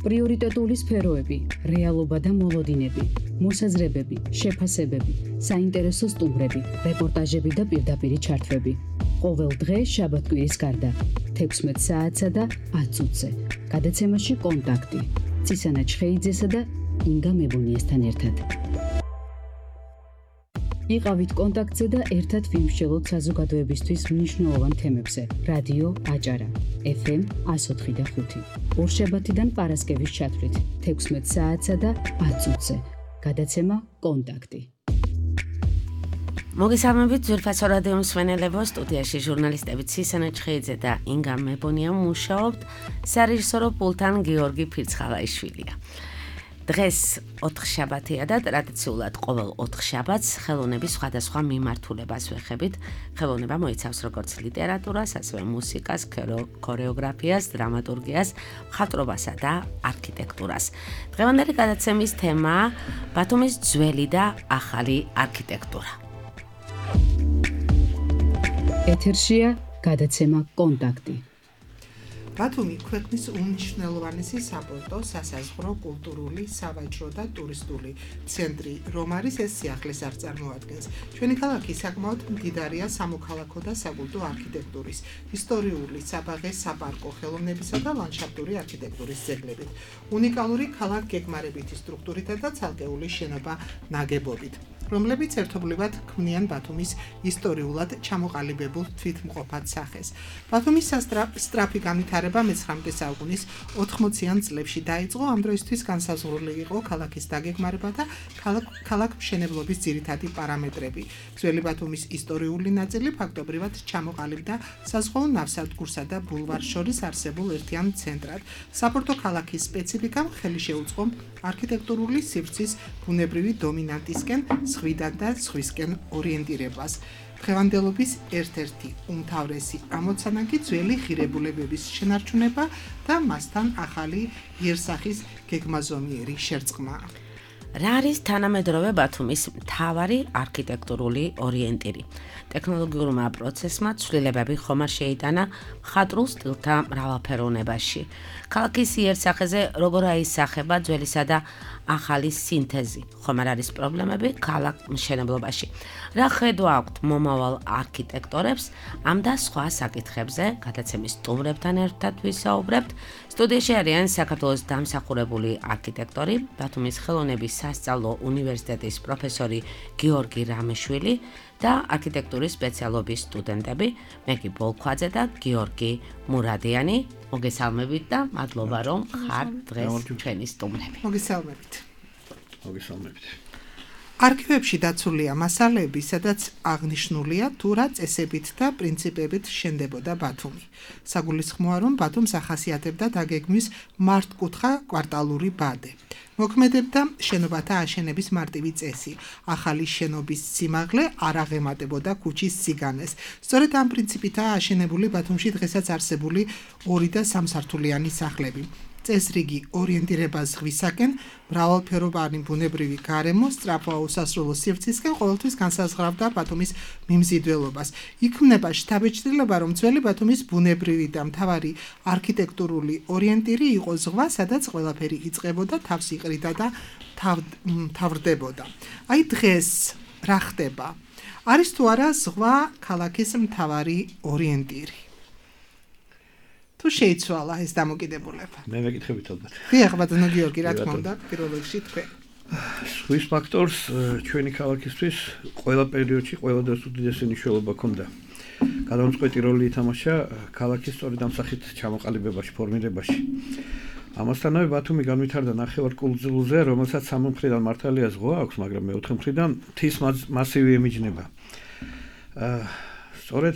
პრიორიტეტული სფეროები, რეალობა და მოლოდინები, მოსაზრებები, შეფასებები, საინტერესო სტუმრები, რეპორტაჟები და პირდაპირი ჩართვები. ყოველ დღე შაბათ-კვირის გარდა 16 საათსა და 10 წუთზე. გადაცემაში კონტაქტი. ცისანა ჩხეიძესა და ინგა მებუნიესთან ერთად. იყავით კონტაქტზე და ერთად ვიმსჯელოთ საზოგადოებისთვის მნიშვნელოვან თემებზე. რადიო აჭარა, FM 104.5. ორშაბათიდან პარასკევის ჩათვლით 16 საათსა და 10 წუთზე. გადაცემა კონტაქტი. მოგესალმებით ძვირფასო რადიო მსმენელებო, სტუდიაში ჟურნალისტები ცისანა ჩხეიძე და ინგა მებონია მუშაობთ, სარეჟისორო პულტთან გიორგი ფირცხალაიშვილია. დღეს 4 შაბათია და ტრადიციულად ყოველ 4 შაბათს ხელოვნების სხვადასხვა მიმართულებას ვეხებით. ხელოვნება მოიცავს როგორც ლიტერატურას, ასევე მუსიკას, ქორეოგრაფიას, დრამატურგიას, მხატვრობასა და არქიტექტურას. დღევანდელი გადაცემის თემაა ბათუმის ძველი და ახალი არქიტექტურა. ეთერშია გადაცემა კონტაქტი. ბათუმი ქვეყნის უმნიშვნელოვანესი საპორტო, სასაზღვრო, კულტურული, სავაჭრო და ტურისტული ცენტრი, რომ არის ეს სიახლეს არ წარმოადგენს. ჩვენი ქალაქი საკმაოდ მდიდარია სამოქალაქო და საკულტო არქიტექტურის, ისტორიული, საბაღე, საპარკო, ხელოვნებისა და ლანდშაფტური არქიტექტურის ძეგლებით, უნიკალური ქალაქ-გეგმარებითი სტრუქტურითა და ცალკეული შენობა ნაგებობით, რომლებიც ერთობლივად ქმნიან ბათუმის ისტორიულად ჩამოყალიბებულ თვითმყოფად სახეს. ბათუმის სწრაფი განვითარება მე-19 საუკუნის 80-იან წლებში დაიწყო, ამ დროისთვის განსაზღვრული იყო ქალაქის დაგეგმარება და ქალაქ-მშენებლობის ძირითადი პარამეტრები. ძველი ბათუმის ისტორიული ნაწილი ფაქტობრივად ჩამოყალიბდა საზღვაო ნავსადგურსა და ბულვარს შორის არსებულ ერთიან ცენტრად. საპორტო ქალაქის სპეციფიკამ ხელი შეუწყო არქიტექტურული სივრცის ბუნებრივი დომინანტისკენ ზღვიდან და ზღვისკენ ორიენტირებას. დღევანდელობის ერთ-ერთი უმთავრესი ამოცანა კი ძველი ღირებულებების შენარჩუნება და მასთან ახალი იერსახის გეგმაზომიერი შერწყმაა. რა არის თანამედროვე ბათუმის მთავარი არქიტექტურული ორიენტირი? ტექნოლოგიურმა პროცესმა ცვლილებები ხომარ შეიტანა მხატვრულ სტილთა მრავალფეროვნებაში. ქალაქის იერსახეზე როგორ აისახება ძველისა და ახალი სინთეზი? ხომარ არის პრობლემები ქალაქ მშენებლობაში. რა ხედვა აქვთ მომავალ არქიტექტორებს ამ და სხვა საკითხებზე? გადაცემის სტუმრებთან ერთად ვისაუბრებთ. სტუდიაში არიან საქართველოს დამსახურებული არქიტექტორი, ბათუმის ხელოვნების სასწავლო უნივერსიტეტის პროფესორი გიორგი რამეშვილი და არქიტექტურის სპეციალობის სტუდენტები მეგი ბოლქვაძე და გიორგი მურადიანი. მოგესალმებით და მადლობა რომ ხართ დღეს ჩვენი სტუმრები. მოგესალმებით. მოგესალმებით. არქივებში დაცულია მასალები, სადაც აღნიშნულია თუ რა წესებით და პრინციპებით შენდებოდა ბათუმი. საგულისხმოა, რომ ბათუმს ახასიათებდა დაგეგმვის მართკუთხა კვარტალური ბადე. მოქმედებდა შენობათა აშენების მარტივი წესი. ახალი შენობის სიმაღლე არ აღემატებოდა ქუჩის სიგანეს. სწორედ ამ პრინციპითაა აშენებული ბათუმში დღესაც არსებული 2 და 3 სართულიანი სახლები. წესრიგი ორიენტირება ზღვისაკენ, მრავალფეროვანი ბუნებრივი გარემო სწრაფვა უსასრულო სივრცისკენ ყოველთვის განსაზღვრავდა ბათუმის მიმზიდველობას. იქმნება შთაბეჭდილება, რომ ძველი ბათუმის ბუნებრივი და მთავარი არქიტექტურული ორიენტირი იყო ზღვა, სადაც ყველაფერი იწყებოდა, თავს იყრიდა და თავრდებოდა. აი დღეს რა ხდება? არის თუ არა ზღვა ქალაქის მთავარი ორიენტირი? თუ შეიცვალა ეს დამოკიდებულება? მე მეკითხებით ალბათ. დიახ, ბატონო გიორგი, რა თქმა უნდა, პირველ რიგში თქვენ. ზღვის ფაქტორს ჩვენი ქალაქისთვის ყველა პერიოდში ყველა დროს უდიდესი მნიშვნელობა ჰქონდა. გადამწყვეტი როლი ითამაშა ქალაქის სწორედ ამ სახით ჩამოყალიბებაში, ფორმირებაში. ამასთანავე ბათუმი განვითარდა ნახევარკუნძულზე, რომელსაც სამი მხრიდან მართალია ზღვა აქვს, მაგრამ მეოთხე მხრიდან მთის მასივი ემიჯნება. სწორედ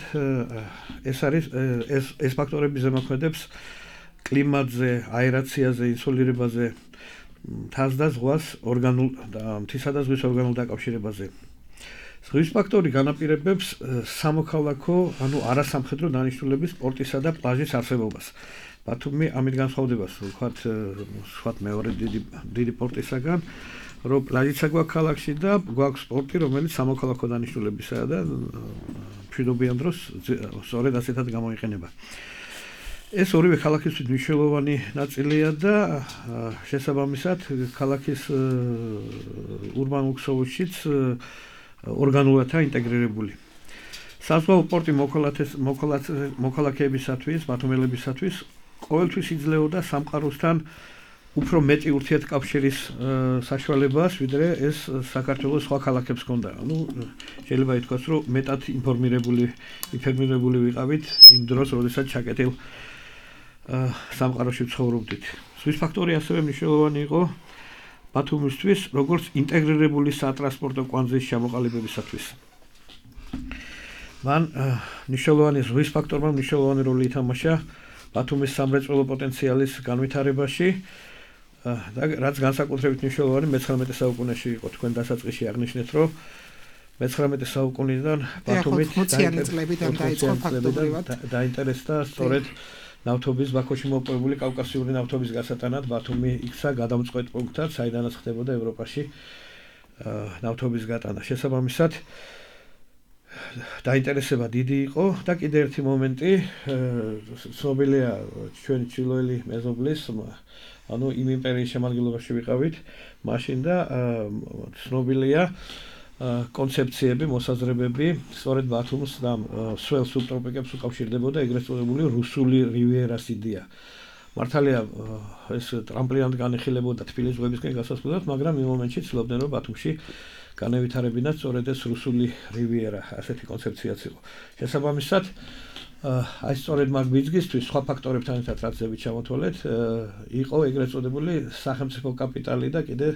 ეს ფაქტორები ზემოქმედებს კლიმატზე, აერაციაზე, ინსოლირებაზე, მთას და ზღვას მთისა და ზღვის ორგანულ დაკავშირებაზე. ზღვის ფაქტორი განაპირობებს სამოქალაქო, ანუ არასამხედრო დანიშნულების სპორტისა და პლაჟის არსებობას. ბათუმი ამით განსხვავდება სხვათ მეორე დიდი პორტისაგან, რომ პლაჟიც გვაქვს ქალაქში და გვაქვს სპორტი, რომელიც სამოქალაქო დანიშნულებისაა და მშვიდობიან დროს სწორედ ასეთად გამოიყენება. ეს ორივე ქალაქისთვის მნიშვნელოვანი ნაწილია და შესაბამისად ქალაქის ურბანულ ქსოვილშიც ორგანულადაა ინტეგრირებული. საზღვაო პორტი მოქალაქეებისათვის, ბათუმელებისათვის ყოველთვის იძლეოდა სამყაროსთან უფრო მეტი ურთიერთკავშირის საშუალებას, ვიდრე ეს საქართველოს სხვა ქალაქებს ჰქონდა. შეიძლება ითქვას, რომ მეტად ინფორმირებული ვიყავით იმ დროს, როდესაც ჩაკეტილ სამყაროში ცხოვრობდით. ზღვის ფაქტორი ასევე მნიშვნელოვანი იყო ბათუმისთვის, როგორც ინტეგრირებული სატრანსპორტო კვანძის ჩამოყალიბებისათვის. მან მნიშვნელოვანი ზღვის ფაქტორმა მნიშვნელოვანი როლი ითამაშა ბათუმის სამრეწველო პოტენციალის განვითარებაში და რაც განსაკუთრებით მნიშვნელოვანი მე-19 საუკუნეში იყო. თქვენ დასაწყისში აღნიშნეთ, რომ მე-19 საუკუნიდან ბათუმით დაინტერესდა სწორედ ნავთობის ბაქოში მოპოვებული კავკასიური ნავთობის გასატანად ბათუმი იქცა გადამწყვეტ პუნქტად, საიდანაც ხდებოდა ევროპაში ნავთობის გატანა. შესაბამისად დაინტერესება დიდი იყო და კიდე ერთი მომენტი ცნობილია ჩვენი ჩილოელი მეზობლის იმ იმპერიის შემადგენლობაში ვიყავით მაშინ და ცნობილია კონცეფციები, მოსაზრებები სწორედ ბათუმს და სულ სუბტროპიკებს უკავშირდებოდა ეგრეთ წოდებული რუსული რივიერას იდეა. მართალია ეს ტრამპლინად განიხილებოდა თბილის ზღვებისკენ გასასვლელად, მაგრამ იმ მომენტში ცდილობდნენ რომ ბათუმში განევითარებინათ სწორედ ეს რუსული რივიერა, ასეთი კონცეფციაც იყო. შესაბამისად აი სწორედ მაგ ბიზნესთვის სხვა ფაქტორებთან ერთად რაც ზევით ჩამოთვალეთ, იყო ეგრეთ წოდებული სახელმწიფო კაპიტალი და კიდე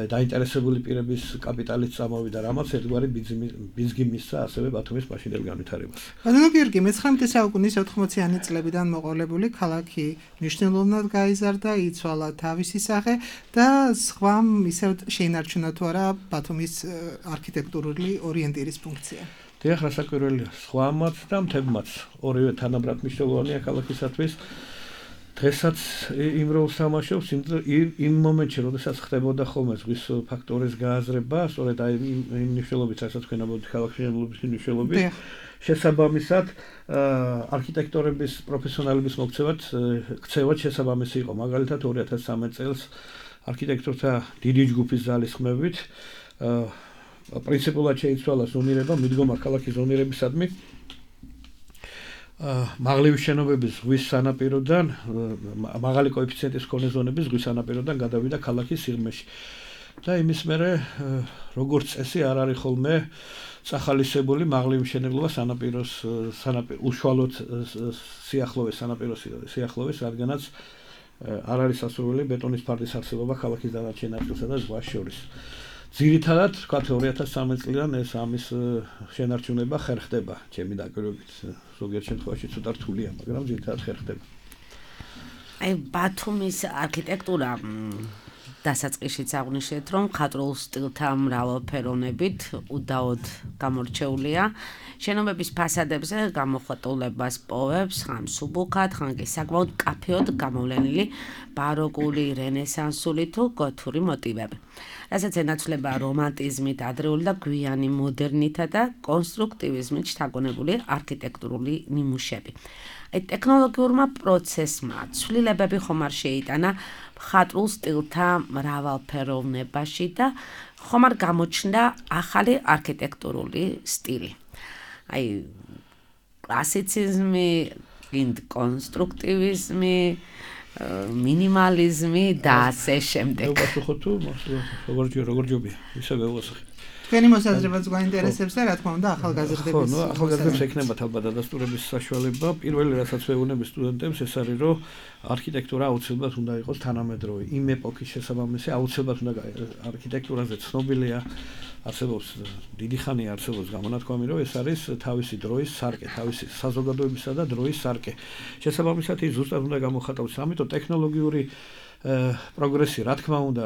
დაინტერესებული პირების კაპიტალიც წამოვიდა, რამაც ერთგვარი ბიზნესი მისცა ასევე ბათუმის მაშინდელ განვითარებას. ბატონო გიორგი, მე-19 საუკუნის 80-იანი წლებიდან მოყოლებული ქალაქი მნიშვნელოვნად გაიზარდა, იცვალა თავისი სახე და სხვა ისევ შეინარჩუნა თუ არა ბათუმის არქიტექტურული ორიენტირის ფუნქცია. დიახ, რასაკვირველია, სხვამაც და მთებმაც ორივე თანაბრად მნიშვნელოვანია ქალაქისათვის. დღესაც იმ როლს თამაშობს იმ მომენტში, როდესაც ხდებოდა ხოლმე ზღვის ფაქტორის გააზრება, სწორედ აი იმ მნიშვნელობით, რასაც თქვენ ამბობთ ქალაქის მნიშვნელობით. შესაბამისად, არქიტექტორების პროფესიონალების ქცევაც შესაბამისი იყო. მაგალითად 2013 წელს არქიტექტორთა დიდი ჯგუფის ზალის ხმებით პრინციპულად შეიცვალა ზონირება, მიდგომა ქალაქის ზონირებისადმი მაღლივი შენობების ზღვის სანაპიროდან, მაღალი კოეფიციენტის მქონე ზონების ზღვის სანაპიროდან გადავიდა ქალაქის სიღრმეში. და იმის მერე როგორც წესი არ არის ხოლმე წახალისებული მაღლივი მშენებლობა სანაპიროს უშუალოდ სიახლოვეს, რადგანაც არ არის სასურველი ბეტონის ფარდის არსებობა ქალაქის დანარჩენ ნაწილსა და ზღვას შორის. ძირითადად, ვთქვათ 2013 წლიდან ეს ამის შენარჩუნება ხერხდება, ჩემი დაკვირვებით. ზოგიერთ შემთხვევაში ცოტა რთულია, მაგრამ ძირითადად ხერხდება. აი ბათუმის არქიტექტურა დასაწყისშიც აღნიშნეთ, რომ მხატვრულ სტილთა მრავალფეროვნებით უდაოდ გამორჩეულია. შენობების ფასადებზე გამოხატულებას პოვებს ხან სუბუქად, ხან კი საკმაოდ კაფეოდ გამოვლენილი ბაროკული, რენესანსული თუ გოთური მოტივები. რასაც ენაცვლება რომანტიზმით, ადრეული და გვიანი მოდერნითა და კონსტრუქტივიზმით შთაგონებული არქიტექტურული ნიმუშები. ტექნოლოგიურმა პროცესმა ცვლილებები ხომ არ შეიტანა მხატვრულ სტილთა მრავალფეროვნებაში და ხომ არ გამოჩნდა ახალი არქიტექტურული სტილი. აი კლასიციზმი, კონსტრუქტივიზმი, მინიმალიზმი და ასე შემდეგ. ვუპასუხოთ თუ როგორ ჯობია, ისე ვეუასახი. თქვენი მოსაზრებაც გვაინტერესებს და რა თქმა უნდა ახალგაზრდების. ახალგაზრდებს ექნებათ ალბათ დადასტურების საშუალება. პირველი რასაც ვეუბნები სტუდენტებს ეს არის, რომ არქიტექტურა აუცილებლად უნდა იყოს თანამედროვე. იმ ეპოქის შესაბამისი აუცილებლად უნდა არქიტექტურაზე ცნობილია, არსებობს დიდი ხანია არსებობს გამონათქვამი, რომ ეს არის თავისი დროის სარკე, თავისი საზოგადოებისა და დროის სარკე. შესაბამისად ის ზუსტად უნდა გამოხატავდეს, ამიტომ ტექნოლოგიური პროგრესი, რა თქმა უნდა,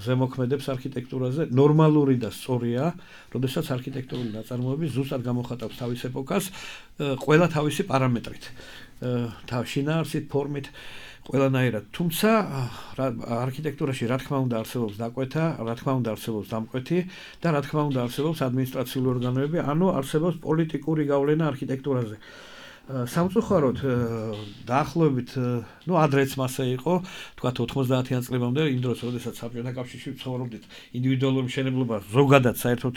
ზემოქმედებს არქიტექტურაზე, ნორმალური და სწორია, როდესაც არქიტექტურული ნაწარმოები ზუსტად გამოხატავს თავის ეპოქას, ყველა თავისი პარამეტრით, შინაარსით, ფორმით, ყველანაირად. თუმცა არქიტექტურაში რა თქმა უნდა არსებობს დაკვეთა, რა თქმა უნდა არსებობს დამკვეთი და რა თქმა უნდა არსებობს ადმინისტრაციული ორგანოები, ანუ არსებობს პოლიტიკური გავლენა არქიტექტურაზე. სამწუხაროდ დაახლოებით ადრეც მასე იყო, თქვათ 90-იან წლებამდე, იმ დროს, როდესაც საბჭოთა კავშირში ცხოვრობდით, ინდივიდუალური მშენებლობა ზოგადად საერთოდ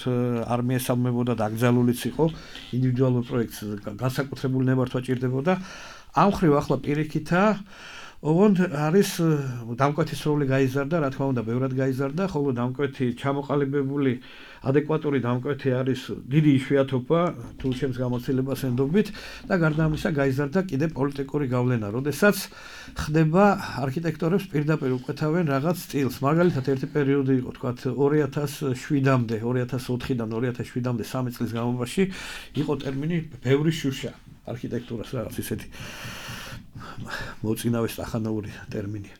არ მიესალმებოდა და აკრძალულიც იყო, ინდივიდუალურ პროექტს განსაკუთრებული ნებართვა ჭირდებოდა. ამ ხრივ ახლა პირიქითა ოღონდ არის დამკვეთის როლი გაიზარდა, რა თქმა უნდა, ბევრად გაიზარდა, ხოლო დამკვეთი ჩამოყალიბებული ადეკვატური დამკვეთი არის დიდი იშვიათობა თუ ჩემს გამოცდილებას ენდობით და გარდა ამისა გაიზარდა კიდე პოლიტიკური გავლენა, როდესაც ხდება არქიტექტორებს პირდაპირ უკვეთავენ რაღაც სტილს. მაგალითად ერთი პერიოდი იყო, თქვათ 2007-მდე, 2004-დან 2007-მდე 3 წლის განმავლობაში იყო ტერმინი ბევრი შუშა არქიტექტურას, რაღაც ისეთი მოწინავე სტახანოური ტერმინია.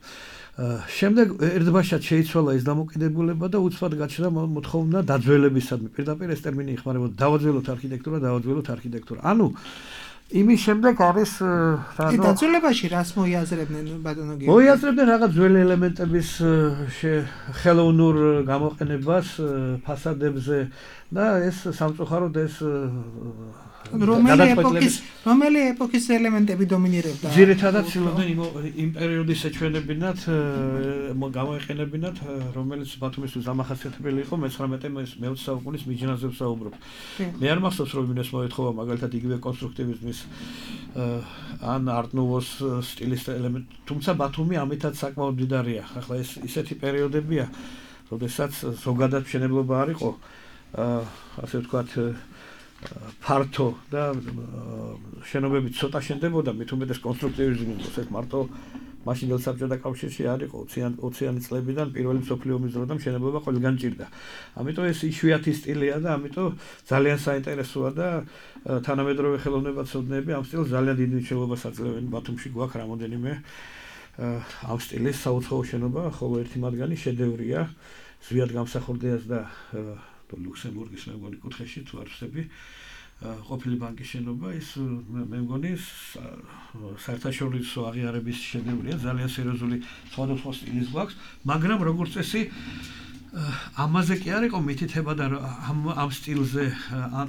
შემდეგ ერთბაშად შეიცვალა ეს დამოკიდებულება და უცბად გაჩნდა მოთხოვნა დაძველებისადმი. პირდაპირ ეს ტერმინი იხმარებოდა დავაძველოთ არქიტექტურა. ანუ იმის შემდეგ არის დაძველებაში რას მოიაზრებდნენ ბატონო გიორგი? მოიაზრებდნენ რაღაც ძველი ელემენტების ხელოვნურ გამოყენებას ფასადებზე და ეს სამწუხაროდ ეს რომელი ეპოქის ელემენტები დომინირებდა? ძირითადად ცდილობდნენ იმ პერიოდის ეჩვენებინათ, გამოეყენებინათ, რომელიც ბათუმისთვის დამახასიათებელი იყო 19-20 საუკუნის მიჯნაზე ვსაუბრობ. მე არ მახსოვს რომ მინეს მოეთხოვა მაგალითად იგივე კონსტრუქტივიზმის ან არტ-ნუვოს სტილის ელემენტი, თუმცა ბათუმი ამითაც საკმაოდ მდიდარია. ახლა ეს ისეთი პერიოდებია, როდესაც ზოგადად მშენებლობა არ იყო, ასე ვთქვათ, ფართო და შენობები ცოტა შენდებოდა, მით უმეტეს კონსტრუქტივიზმი იყო, ეს მარტო მაშინდელ საბჭოთა კავშირში არ იყო 20-იანი წლებიდან პირველი მსოფლიო ომის დროდან მშენებლობა ყველგან ჭირდა. ამიტომ ეს იშვიათი სტილია და ამიტომ ძალიან საინტერესოა და თანამედროვე ხელოვნებაცოდნეები ამ სტილს ძალიან დიდ მნიშვნელობას აძლევენ. ბათუმში გვაქვს რამოდენიმე ამ სტილის საუცხოო შენობა, ხოლო ერთი მათგანი შედევრია, ზვიად გამსახურდიას და ლუქსემბურგის მე მგონი კუთხეში თუ არ ვსები ყოფილი ბანკის შენობა, ის მე მგონი საერთაშორისო აღიარების შედევრია, ძალიან სერიოზული სხვადასხვა სტილის გვაქვს, მაგრამ როგორც წესი ამაზე კი არ იყო მითითება და ამ სტილზე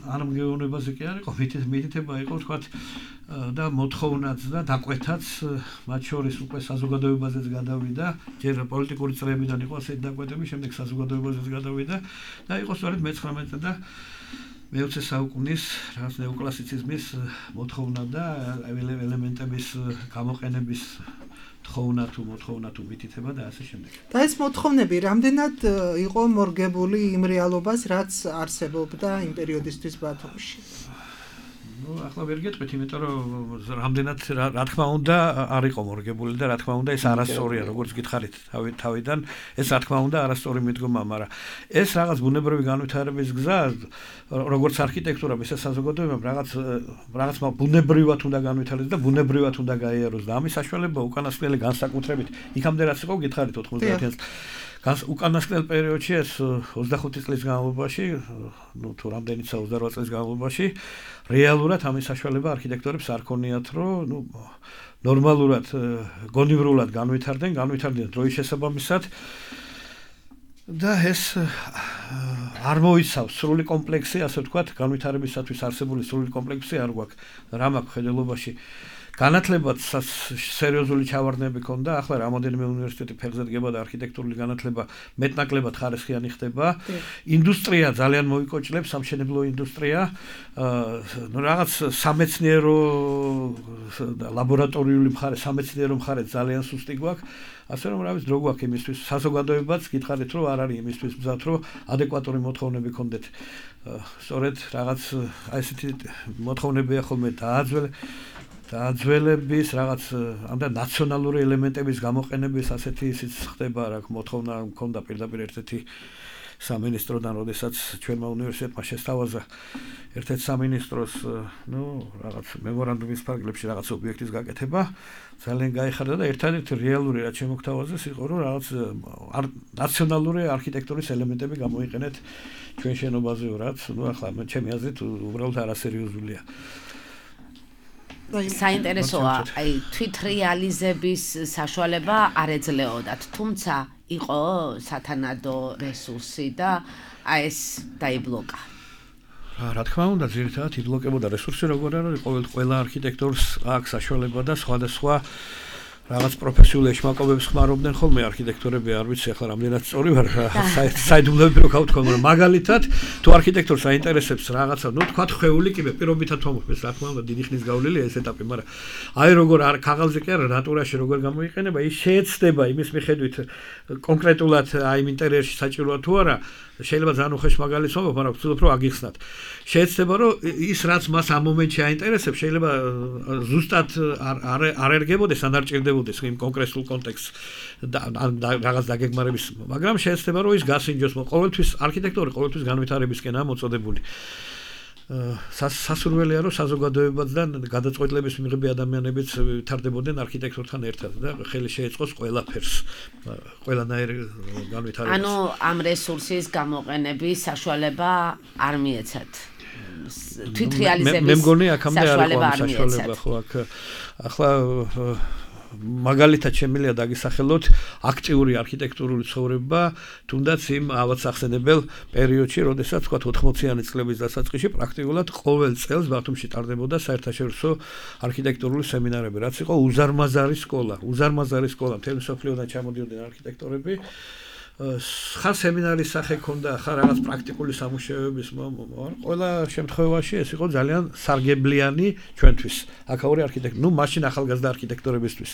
ან მგეუბნებაზე კი არ იყო მითითება იყო, თქვათ და მოთხოვნაც და დაკვეთაც, მათ შორის უკვე საზოგადოებაზეც გადავიდა, ჯერ პოლიტიკური წრეებიდან იყო ასეთი დაკვეთები, შემდეგ საზოგადოებაზეც გადავიდა და იყო სწორედ მე-19 და მე-20 საუკუნის რაღაც ნეოკლასიციზმის მოთხოვნა და ელემენტების გამოყენების მოთხოვნა თუ მითითება და ასე შემდეგ. და ეს მოთხოვნები რამდენად იყო მორგებული იმ რეალობას, რაც არსებობდა იმ პერიოდისთვის ბათუმში? ახლა ვერ გეტყვით, იმიტომ რომ რამდენად რა თქმა უნდა არ იყო მორგებული და რა თქმა უნდა ეს არასწორია, როგორც გითხარით თავიდან, ეს რა თქმა უნდა არასწორი მიდგომა, მაგრამ ეს რაღაც ბუნებრივი განვითარების გზა, როგორც არქიტექტურა, ისე საზოგადოებამ რაღაც ბუნებრივად უნდა განვითარდეს და ბუნებრივად უნდა გაიაროს და ამის საშუალება უკანასკნელი განსაკუთრებით იქამდე რაც იყო გითხარით 90-იან უკანასკნელ პერიოდში ეს 25 წლის განმავლობაში, თუ რამდენიც 28 წლის განმავლობაში, რეალურად ამის საშუალება არქიტექტორებს არ ქონიათ, რომ ნორმალურად, გონივრულად განვითარდნენ დროის შესაბამისად და ეს არ მოიცავს სრული კომპლექსი, ასე ვთქვათ, განვითარებისათვის არსებული სრული კომპლექსი არ გვაქვს. რა მაქვს ხედელობაში განათლებაც სერიოზული ჩავარდნები ქონდა, ახლა რამოდენიმე უნივერსიტეტი ფეხზე დგება და არქიტექტურული განათლება მეტნაკლებად ხარისხიანი ხდება. ინდუსტრია ძალიან მოიკოჭლებს, სამშენებლო ინდუსტრია, რაღაც სამეცნიერო და ლაბორატორიული მხარე, სამეცნიერო მხარე ძალიან სუსტი გვაქვს. ასე რომ რა ვიცი, დრო გვაქვს იმისთვის, საზოგადოებაც გითხარით, რომ არ არის იმისთვის მზად, რომ ადეკვატური მოთხოვნები ქონდეთ. სწორედ რაღაც აი ესეთი მოთხოვნებია ხოლმე დაძველების რაღაც ამდენ ნაციონალური ელემენტების გამოყენების ასეთი ისიც ხდება, რა მოთხოვნა მქონდა პირდაპირ ერთ-ერთი სამინისტროდან, როდესაც ჩვენმა უნივერსიტეტმა შესთავაზა ერთ-ერთ სამინისტროს, რაღაც მემორანდუმის ფარგლებში რაღაც ობიექტის გაკეთება, ძალიან გაიხარდა და ერთადერთი რეალური რაც შემოგთავაზეს იყო, რომ რაღაც ნაციონალური არქიტექტურის ელემენტები გამოიყენეთ ჩვენ შენობაზე, რაც ახლა ჩემი აზრით უბრალოდ არასერიოზულია. საინტერესოა, აი თვით რეალიზების საშუალება არ ეძლეოდათ, თუმცა იყო სათანადო რესურსი და აი ეს დაიბლოკა. რა თქმა უნდა, ძირითადად იბლოკებოდა რესურსი როგორ არის, ყველა არქიტექტორს აქვს საშუალება და სხვადასხვა რაღაც პროფესიული ეშმაკობებს ხმარობდნენ ხოლმე არქიტექტორები, არ ვიცი ახლა რამდენად სწორი ვარ, საიდუმლოები რო გავთქვა, მაგრამ მაგალითად თუ არქიტექტორს აინტერესებს რაღაცა, ну თქვა ხვეული კი მე პირობითად ვამოხმეს, რა თქმა უნდა, დიდი ხნის გავლილია ეს ეტაპი, მაგრამ აი როგორ ქაღალდზე კი არა, ნატურაში როგორ გამოიყენება, ის შეეცდება იმის მიხედვით კონკრეტულად აი იმ ინტერიერში საჭიროა თუ არა, შეიძლება ძალიან უხეშ მაგალითს ვამბობ, მაგრამ ვცდილობ რომ აგიხსნათ. შეეცდება რომ ის რაც მას ამ მომენტში აინტერესებს, შეიძლება ზუსტად არ ერგებოდეს, ან არ ჭირდებოდეს იმ კონკრეტულ კონტექსტს რაღაც დაგეგმარების, მაგრამ შეეცდება რომ ის გასინჯოს, ყოველთვის არქიტექტორი ყოველთვის განვითარებისკენაა მოწოდებული. სასურველია რომ საზოგადოებაც და გადაწყვეტილების მიღები ადამიანებიც ვითარდებოდნენ არქიტექტორთან ერთად და ხელი შეეწყოს ყველაფერს, ყველანაირ განვითარებას. ანუ ამ რესურსის გამოყენების საშუალება არ მიეცათ. თვითრეალიზების მე მგონი აქამდე არ იყო საშუალება, ხო, აქ ახლა მაგალითად შემიძლია დაგისახელოთ აქტიური არქიტექტურული ცხოვრება, თუნდაც იმ ავადსახსენებელ პერიოდში, როდესაც თქვა 80-იანი წლების დასაწყისში პრაქტიკულად ყოველ წელს ბათუმში ტარდებოდა საერთაშორისო არქიტექტურული სემინარები, რაც იყო უზარმაზარი სკოლა, მთელი მსოფლიოდან ჩამოდიოდნენ არქიტექტორები. ხარ სემინარის სახე ქონდა, ხარ რაღაც პრაქტიკული სამუშაოების, ყველა შემთხვევაში ეს იყო ძალიან სარგებლიანი ჩვენთვის, აქაური არქიტექტორი, ну მაშინ ახალგაზრდა არქიტექტორებისთვის.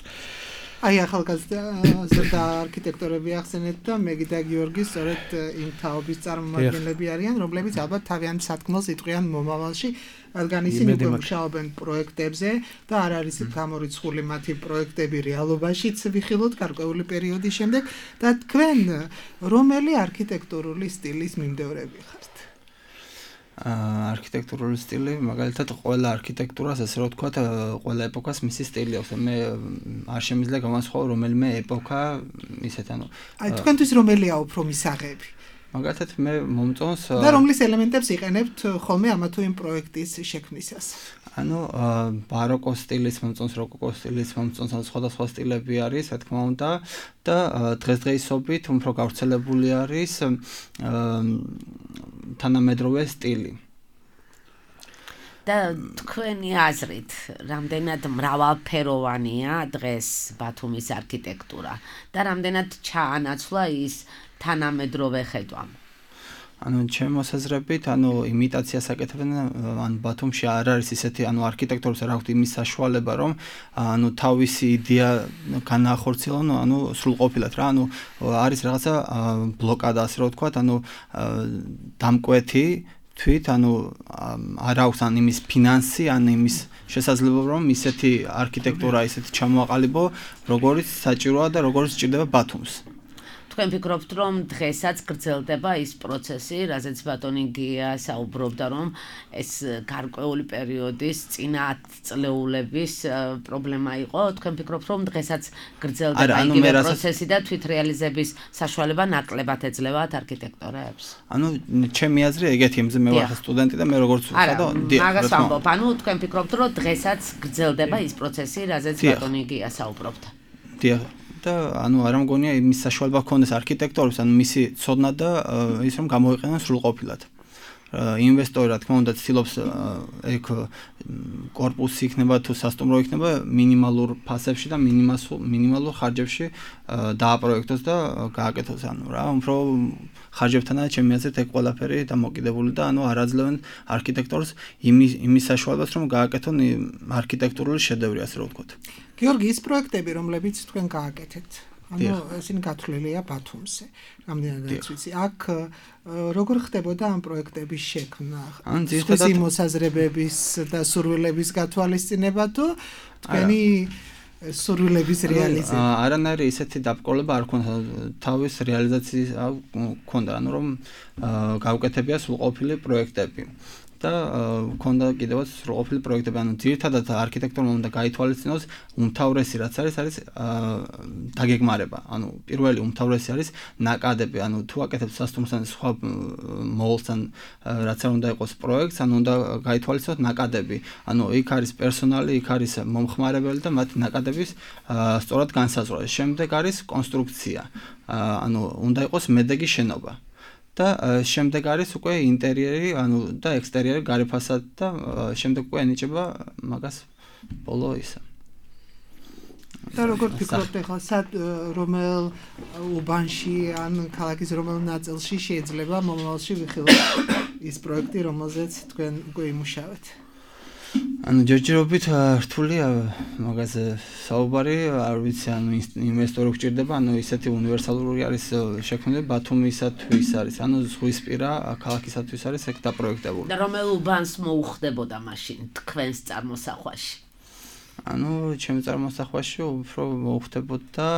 აი ახალგაზრდა არქიტექტორები ახსენეთ და მეგი და გიორგი სწორედ იმ თაობის წარმომადგენლები არიან, რომლებიც ალბათ თავიანთ სათქმელს იტყვიან მომავალში, რადგან ისინი უკვე მუშაობენ პროექტებზე და არ არის გამორიცხული მათი პროექტები რეალობაშიც ვიხილოთ გარკვეული პერიოდის შემდეგ და თქვენ რომელი არქიტექტურული სტილის მიმდევრები ხართ? არქიტექტურული სტილი, მაგალითად, ყველა არქიტექტურას, ასე რომ ვთქვათ, ყველა ეპოქას მისი სტილი აქვს. მე არ შემიძლია გამოსხო რომელიმე ეპოქა ისეთ, ანუ აი თქვენთვის რომელია უფრო მისაღები? მაგალითად, მე მომწონს და რომლის ელემენტებს იყენებთ ხოლმე ამა თუ იმ პროექტის შექმნისას? ანუ ბაროკოს სტილის მომწონს, როკოკო სტილის მომწონს, ანუ სხვადასხვა სტილები არის, რა თქმა უნდა, და დღესდღეობით უფრო გავრცელებული არის თანამედროვე სტილი. და თქვენი აზრით, რამდენად მრავალფეროვანია დღეს ბათუმის არქიტექტურა და რამდენად ჩაანაცვლა ის თანამედროვე ხედვამ? ანუ ჩემს მოსაზრებით, ანუ იმიტაციას აკეთებენ, ანუ ბათუმში არ არის ისეთი, ანუ არქიტექტორებს არ აქვს იმის საშუალება, რომ ანუ თავისი იდეა განახორციელონ, ანუ სრულყოფილად რა, ანუ არის რაღაცა ბლოკადა, ასე რომ ვთქვათ, ანუ დამკვეთი თვით, ანუ არ აქვს ან იმის ფინანსი, ან იმის შესაძლებლობა, რომ ისეთი არქიტექტურა ისეთი ჩამოაყალიბო, როგორიც საჭიროა და როგორიც სჭირდება ბათუმს. თქვენ ფიქრობთ, რომ დღესაც გრძელდება ის პროცესი, რაზეც ბატონი გია საუბრობდა, რომ ეს გარკვეული პერიოდის წინათწლეულების პრობლემა იყო. თქვენ ფიქრობთ, რომ დღესაც გრძელდება იგივე პროცესი და თვითრეალიზების საშუალება ნაკლებად ეძლევათ არქიტექტორებს? ანუ ჩემი აზრი ეგეთი, მე ვარ სტუდენტი და მე როგორც ვხედავ, მაგას ვამბობ, ანუ თქვენ ფიქრობთ, რომ დღესაც გრძელდება ის პროცესი, რაზეც ბატონი გია საუბრობდა? დიახ. და ანუ არ მგონია იმის საშუალება ჰქონდეს არქიტექტორებს, ანუ მისი ცოდნა და ის რომ გამოიყენონ სრულყოფილად. ინვესტორი, რა თქმა უნდა, ცდილობს ეგ კორპუსი იქნება თუ სასტუმრო იქნება მინიმალურ ფასებში და მინიმალურ ხარჯებში დააპროექტოს და გააკეთოს, ანუ რა, უფრო ხარჯებთანაა ჩემი აზრით ეგ ყველაფერი დამოკიდებული და ანუ არ აძლევენ არქიტექტორს იმის საშუალებას, რომ გააკეთონ არქიტექტურული შედევრი, ასე რომ ვთქვათ. გიორგი, ის პროექტები, რომლებიც თქვენ გააკეთეთ, ანუ ისინი გათვლილია ბათუმზე. რამდენადაც ვიცი, აქ როგორ ხდებოდა ამ პროექტების შექმნა? სხვისი მოსაზრებების და სურვილების გათვალისწინება თუ თქვენი სურვილების რეალიზება? არანაირი ისეთი დაბრკოლება არ ქონდა, თავის რეალიზაციის ქონდა, ანუ რომ გავუკეთებია სრულყოფილი პროექტები. და ქონდა კიდევაც სრულყოფილი პროექტები, ანუ ძირითადად არქიტექტორმა უნდა გაითვალისწინოს უმთავრესი რაც არის დაგეგმარება. ანუ პირველი უმთავრესი არის ნაკადები, ანუ თუ აკეთებს სასტუმროსთან სხვა მოულთან რაც არ უნდა იყოს პროექტს, ანუ უნდა გაითვალისწინოთ ნაკადები. ანუ იქ არის პერსონალი, იქ არის მომხმარებელი და მათი ნაკადების სწორად განსაზღვრა. შემდეგ არის კონსტრუქცია. ანუ უნდა იყოს მედეგი შენობა. და შემდეგ არის უკვე ინტერიერი, ანუ და ექსტერიერი გარე ფასადი და შემდეგ უკვე ენიჭება მაგას ბოლო ისა. და როგორ ფიქრობთ ახლა რომელ უბანში ან ქალაქის რომელ ნაწილში შეიძლება მომავალში ვიხილოთ ის პროექტი, რომელზეც თქვენ უკვე იმუშავეთ? ანუ ჯერჯერობით რთულია მაგაზე საუბარი, არ ვიცი, ანუ ინვესტორი გჭირდება, ანუ ისეთი უნივერსალური არის შექმნილი ბათუმისათვის არის, ანუ ზღვისპირა ქალაქისათვის არის ეგ დაპროექტებული. და რომელ უბანს მოუხდებოდა მაშინ თქვენს წარმოსახვაში? ანუ ჩემი წარმოსახვაში უფრო მოუხდებოდა,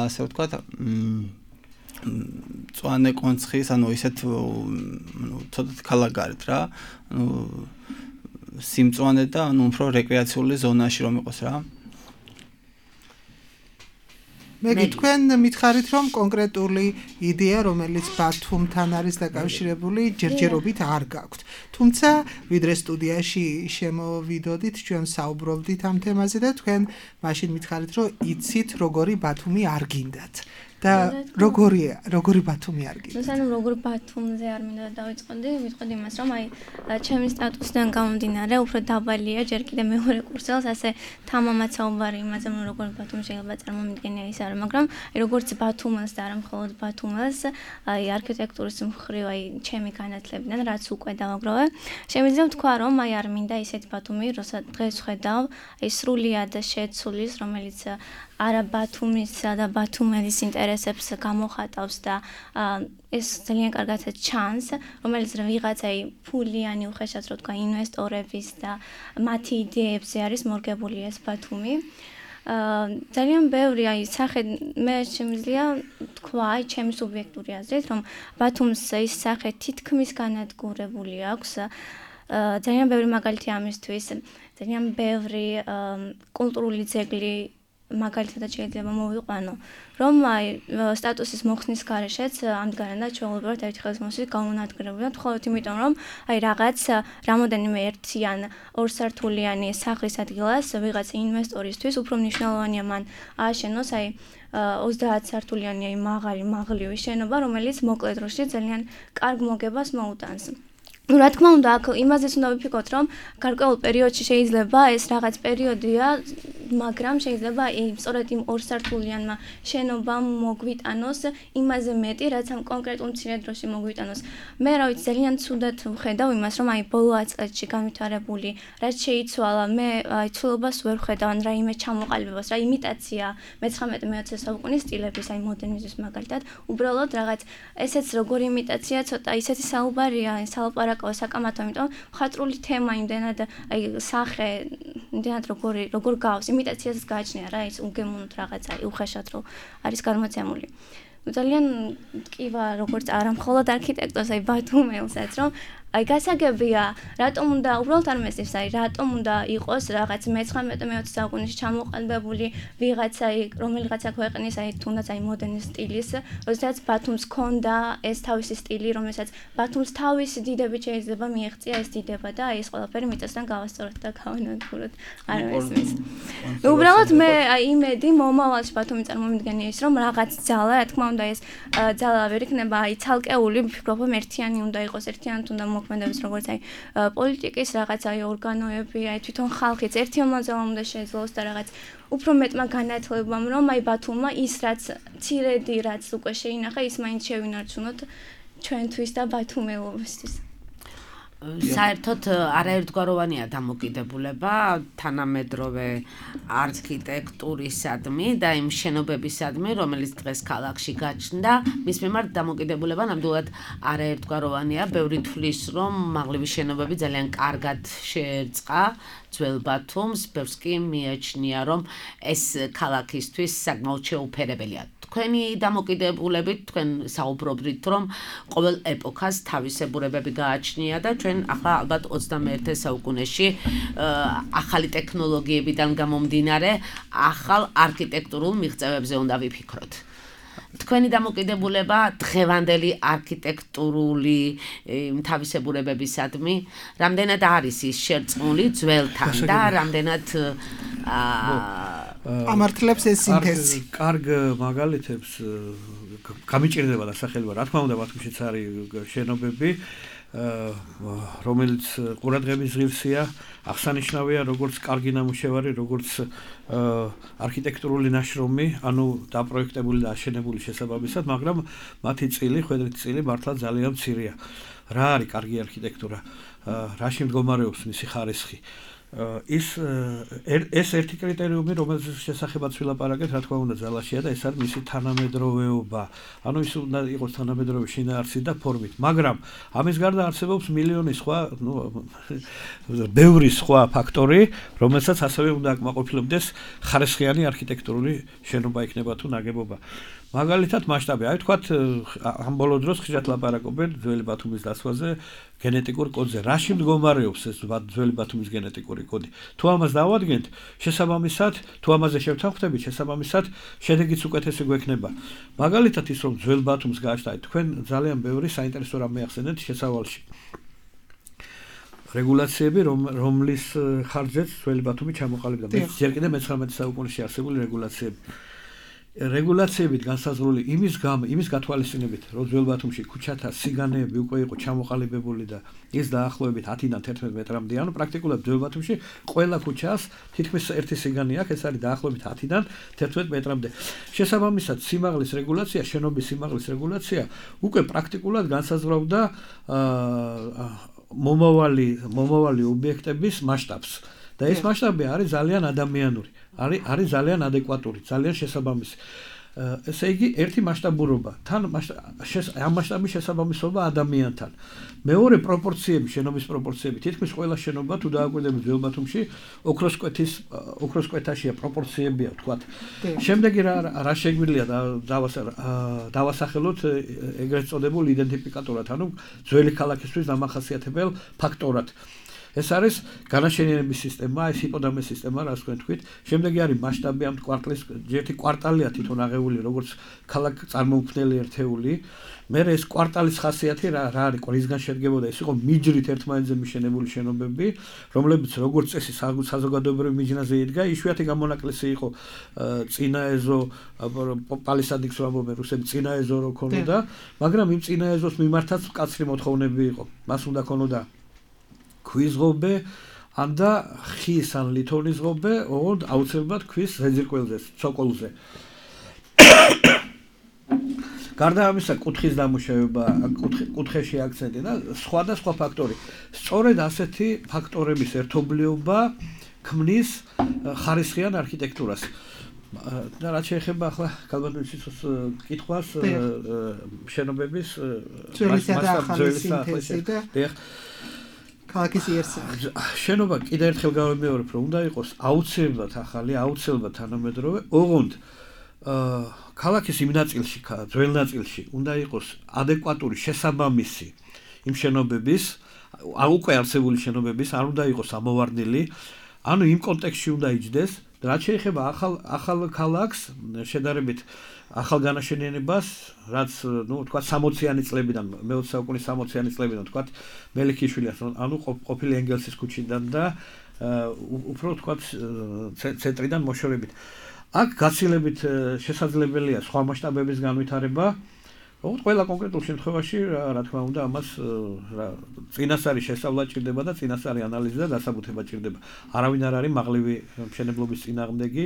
ასე ვთქვათ, მწვანე კონცხის, ანუ ისეთ ცოტა ქალაქგარეთ რა, ანუ სიმწვანე და ანუ უფრო რეკრეაციული ზონაში რომ იყოს რა. მე თქვენ მითხარით რომ კონკრეტული იდეა რომელიც ბათუმთან არის დაკავშირებული ჯერჯერობით არ გაქვთ. თუმცა ვიდრე სტუდიაში შემოვიდოდით, ჩვენ საუბრობდით ამ თემაზე და თქვენ მაშინ მითხარით რომ იცით როგორი ბათუმი არ გინდათ. და როგორი ბათუმი არ გინდათ? ანუ როგორ ბათუმზე არ მინდა დავიწყოდი, ვიტყოდი იმას რომ აი ჩემი სტატუსიდან გამომდინარე უფრო დაბალია ჯერ კიდე მეორე კურსელს, ასე თამამად საუბარი იმაზე რომ როგორ ბათუმი შეიძლება წარმომიდგენია ის არა, მაგრამ როგორც ბათუმას და არა მხოლოდ ბათუმას, აი არქიტექტურის მხრივ აი ჩემი განათლებიდან რაც უკვე დავაგროვე, შემიძლია ვთქვა რომ აი არ მინდა ისეთი ბათუმი, როცა დღეს ხედავ, აი სრულიად შეცვლის, რომელიც არა ბათუმისა და ბათუმელის ინტერესებს გამოხატავს და ეს ძალიან კარგად ჩანს, რომელიც ვიღაცა ფულიანი უხეშად რო თქვა ინვესტორების და მათი იდეებზე არის მორგებული ეს ბათუმი. ძალიან ბევრი აი სახე მე შემიძლია თქვა აი ჩემი სუბიექტური აზრით რომ ბათუმს ის სახე თითქმის განადგურებული აქვს. ძალიან ბევრი მაგალითი ამისთვის, ძალიან ბევრი კულტურული ძეგლი მაგალითად შეიძლება მოვიყვანო, რომ აი სტატუსის მოხსნის გარეშეც ამდგარანდა ჩვეულებრივად ერთი ხელის მოსვლით გამონადგურებულა, მხოლოდ იმიტომ რომ აი რაღაც რამოდენიმე ერთი ან ორსართულიანი სახლის ადგილას ვიღაცა ინვესტორისთვის უფრო მნიშვნელოვანია მან ააშენოს აი 30 სართულიანი აი მაღლივი შენობა, რომელიც მოკლე დროში ძალიან კარგ მოგებას მოუტანს. რა თქმა უნდა, აქ იმაზეც უნდა ვიფიქროთ, რომ გარკვეულ პერიოდში შეიძლება ეს რაღაც პერიოდია, მაგრამ შეიძლება სწორედ იმ ორსართულიანმა შენობამ მოგვიტანოს იმაზე მეტი, რაც ამ კონკრეტულ მცირე დროში მოგვიტანოს. მე რა ვიცი, ძალიან ცუდად ვხედავ იმას, რომ აი ბოლო 10 წელში განვითარებული, რაც შეიცვალა, მე აი ცვლილებას ვერ ვხედავ, ან რაიმე ჩამოყალიბებას, რა იმიტაცია მე-19-20 საუკუნის სტილების, აი მოდერნიზმის მაგალითად, უბრალოდ რაღაც ესეც როგორი იმიტაცია, ცოტა ისეთი საუბარია, სალაპარაკო საკამათო, იმიტომ ხატრული თემა იმდენად აი სახე იმდენად როგორ გავს იმიტაციას გააჩნია რა ის უგემოვნოთ რაღაცა უხეშად რო არის გამოცემული. ძალიან ტკივა როგორც არა მხოლოდ არქიტექტორს აი ბათუმელსაც რომ აი გასაგებია რატომ უნდა უბრალოდ არ მესწრებს აი რატომ უნდა იყოს რაღაც მე-19-20 საუკუნეში ჩამოყალიბებული ვიღაცა რომელიღაცა ქვეყნის აი თუნდაც აი მოდერნის სტილის როდესაც ბათუმს ჰქონდა ეს თავისი სტილი რომელსაც ბათუმს თავისი დიდებით შეიძლება მიეღწია ეს დიდება და აი ეს ყველაფერი მიწასთან გავასწოროთ და გავანადგუროთ არ მესმის უბრალოდ მე აი იმედი მომავალში ბათუმი წარმომიდგენია ის რომ რაღაც ძალა რა თქმა უნდა ეს ძალა ვერ იქნება აი ცალკეული ვფიქრობ რომ ერთიანი უნდა იყოს ერთიანად უნდა მოქმედებს როგორც აი პოლიტიკის რაღაც აი ორგანოები აი თვითონ ხალხიც ერთი მომავალ უნდა შეძლოს და რაღაც უფრო მეტმა განათლებამ რომ აი ბათუმმა ის რაც ცირედი რაც უკვე შეინახა ის მაინც შევინარჩუნოთ ჩვენთვის და ბათუმელობისთვის საერთოდ არაერთგვაროვანია დამოკიდებულება თანამედროვე არქიტექტურისადმი და იმ შენობებისადმი, რომელიც დღეს ქალაქში გაჩნდა, მის მიმართ დამოკიდებულება ნამდვილად არაერთგვაროვანია. ბევრი თვლის, რომ მაღლივი შენობები ძალიან კარგად შეერწყა ძველ ბათუმს, ბევრს კი მიაჩნია, რომ ეს ქალაქისთვის საკმაოდ შეუფერებელია. თქვენი დამოკიდებულებით თქვენ საუბრობთ, რომ ყოველ ეპოქას თავისებურებები გააჩნია და ჩვენ ახლა ალბათ 21 საუკუნეში ახალი ტექნოლოგიებიდან გამომდინარე ახალ არქიტექტურულ მიღწევებზე უნდა ვიფიქროთ. თქვენი დამოკიდებულება დღევანდელი არქიტექტურული თავისებურებებისადმი რამდენად არის ის შერწყმული ძველთან და რამდენად ამართლებს ეს სინთეზი. კარგ მაგალითებს გამიჭირდება დასახელება, რა თქმა უნდა, ბათუმშიც არის შენობები, რომელიც ყურადღების ღირსია, აღსანიშნავია როგორც კარგი ნამუშევარი, როგორც არქიტექტურული ნაშრომი, ანუ დაპროექტებული და აშენებული შესაბამისად, მაგრამ მათი წილი, ხვედრით წილი მართლა ძალიან მცირეა. რა არის კარგი არქიტექტურა? რაში მდგომარეობს მისი ხარისხი? ეს ერთი კრიტერიუმი, რომელზეც შესახებაც ვილაპარაკეთ, რა თქმა უნდა, ძალაშია და ეს არის მისი თანამედროვეობა. ანუ ის უნდა იყოს თანამედროვე შინაარსით და ფორმით, მაგრამ ამის გარდა არსებობს მილიონი სხვა, ბევრი სხვა ფაქტორი, რომელსაც ასევე უნდა აკმაყოფილებდეს ხარისხიანი არქიტექტურული შენობა იქნება თუ ნაგებობა. მაგალითად მასშტაბი, აი თქვათ, ამ ბოლო დროს ხშირად ლაპარაკობენ ძველი ბათუმის დასვაზე, გენეტიკურ კოდზე. რაში მდგომარეობს ეს ძველი ბათუმის გენეტიკური კოდი? თუ ამას დავადგენთ, შესაბამისად, თუ ამაზე შევთანხმდებით, შესაბამისად, შედეგიც უკეთესი გვექნება. მაგალითად ის რომ ძველ ბათუმს გააჩნდათ, თქვენ ძალიან ბევრი საინტერესო რამ მეახსენეთ შესავალში. რეგულაციები, რომლის ხარჯზეც ძველი ბათუმი ჩამოყალიბდა. ჯერ კიდევ მე-19 საუკუნეში არსებული რეგულაციები. რეგულაციებით განსაზღვრული იმის გათვალისწინებით, რომ ძველ ბათუმში ქუჩათა სიგანეები უკვე იყო ჩამოყალიბებული და ის დაახლოებით 10-დან 11 მეტრამდე, ანუ პრაქტიკულად ძველ ბათუმში ყველა ქუჩას თითქმის ერთი სიგანი აქვს, ეს არის დაახლოებით 10-დან 11 მეტრამდე. შესაბამისად, სიმაღლის რეგულაცია, შენობის სიმაღლის რეგულაცია უკვე პრაქტიკულად განსაზღვრავდა მომავალი ობიექტების მასშტაბს. და ეს მასშტაბი არის ძალიან ადამიანური, არის ძალიან ადეკვატური, ძალიან შესაბამისი. ესე იგი, ერთი მასშტაბურობა, თან ამ მასშტაბის შესაბამისობა ადამიანთან. მეორე პროპორციები, შენობის პროპორციები, თითქმის ყველა შენობა თუ დააკვირდებით ძველ ბათუმში, ოქროსკვეთაშია პროპორციებია, თქვათ. შემდეგი რა შეგვიძლია დავასახელოთ ეგრეთ წოდებულ იდენტიფიკატორად, ანუ ძველი ქალაქისთვის დამახასიათებელ ფაქტორად. ეს არის განაშენიანების სისტემა, ეს ჰიპოდამის სისტემა, რაც თქვენ თქვით. შემდეგი არის მასშტაბი ამ კვარტლის, ერთი კვარტალია თვითონ აღებული, როგორც ქალაქ წარმოუქმნელი ერთეული. მერე ეს კვარტალის ხასიათი რა არის, რისგან შედგებოდა? ეს იყო მიჯრით ერთმანეთზე მიშენებული შენობები, რომლებიც როგორც წესი საზოგადოებრივ მიჯნაზე იდგა, იშვიათი გამონაკლისი იყო წინაეზო, პალისადიქს ამბობენ რუსები, წინაეზო რო ქონოდა, მაგრამ იმ წინაეზოს მიმართაც მკაცრი მოთხოვნები იყო. მას უნდა ქონოდა ქვის ღობე, ან და ხის ან ლითონის ღობე, ოღონდ აუცილებლად ქვის ზეძირკველზე, ცოკოლზე. გარდა ამისა, კუთხის დამუშავება, კუთხეში აქცენტი და სხვადასხვა ფაქტორი. სწორედ ასეთი ფაქტორების ერთობლიობა ქმნის ხარისხიან არქიტექტურას. და რაც შეეხება ახლა კალბატონისის კითხვას შენობების ქალაქის იერსა. შენობა კიდევ ერთხელ გავიმეორებ, რომ უნდა იყოს აუცილებლად ახალი, აუცილებლად თანამედროვე, ოღონდ ქალაქის იმ ნაწილში, ძველ ნაწილში უნდა იყოს ადეკვატური შესაბამისი იმ შენობების, უკვე არსებული შენობების, არ უნდა იყოს ამოვარდნილი, ანუ იმ კონტექსტში უნდა იჯდეს, რაც შეეხება ახალ ქალაქს, შედარებით ახალ განაშენიანებას, რაც, თქვა 60-იანი წლებიდან, მე-20 საუკუნის 60-იანი წლებიდან, თქვა მელიქიშვილის, ანუ ყოფილი ენგელსის ქუჩიდან და უფრო თქვა ცენტრიდან მოშორებით. აქ გაცილებით შესაძლებელია სხვა მასშტაბების განვითარება. ოღონდ ყველა კონკრეტულ შემთხვევაში, რა თქმა უნდა, ამას წინასწარი შესწავლა ჭირდება და წინასწარი ანალიზი და დასაბუთება ჭირდება. არავინ არ არის მაღლივი მშენებლობის წინააღმდეგი.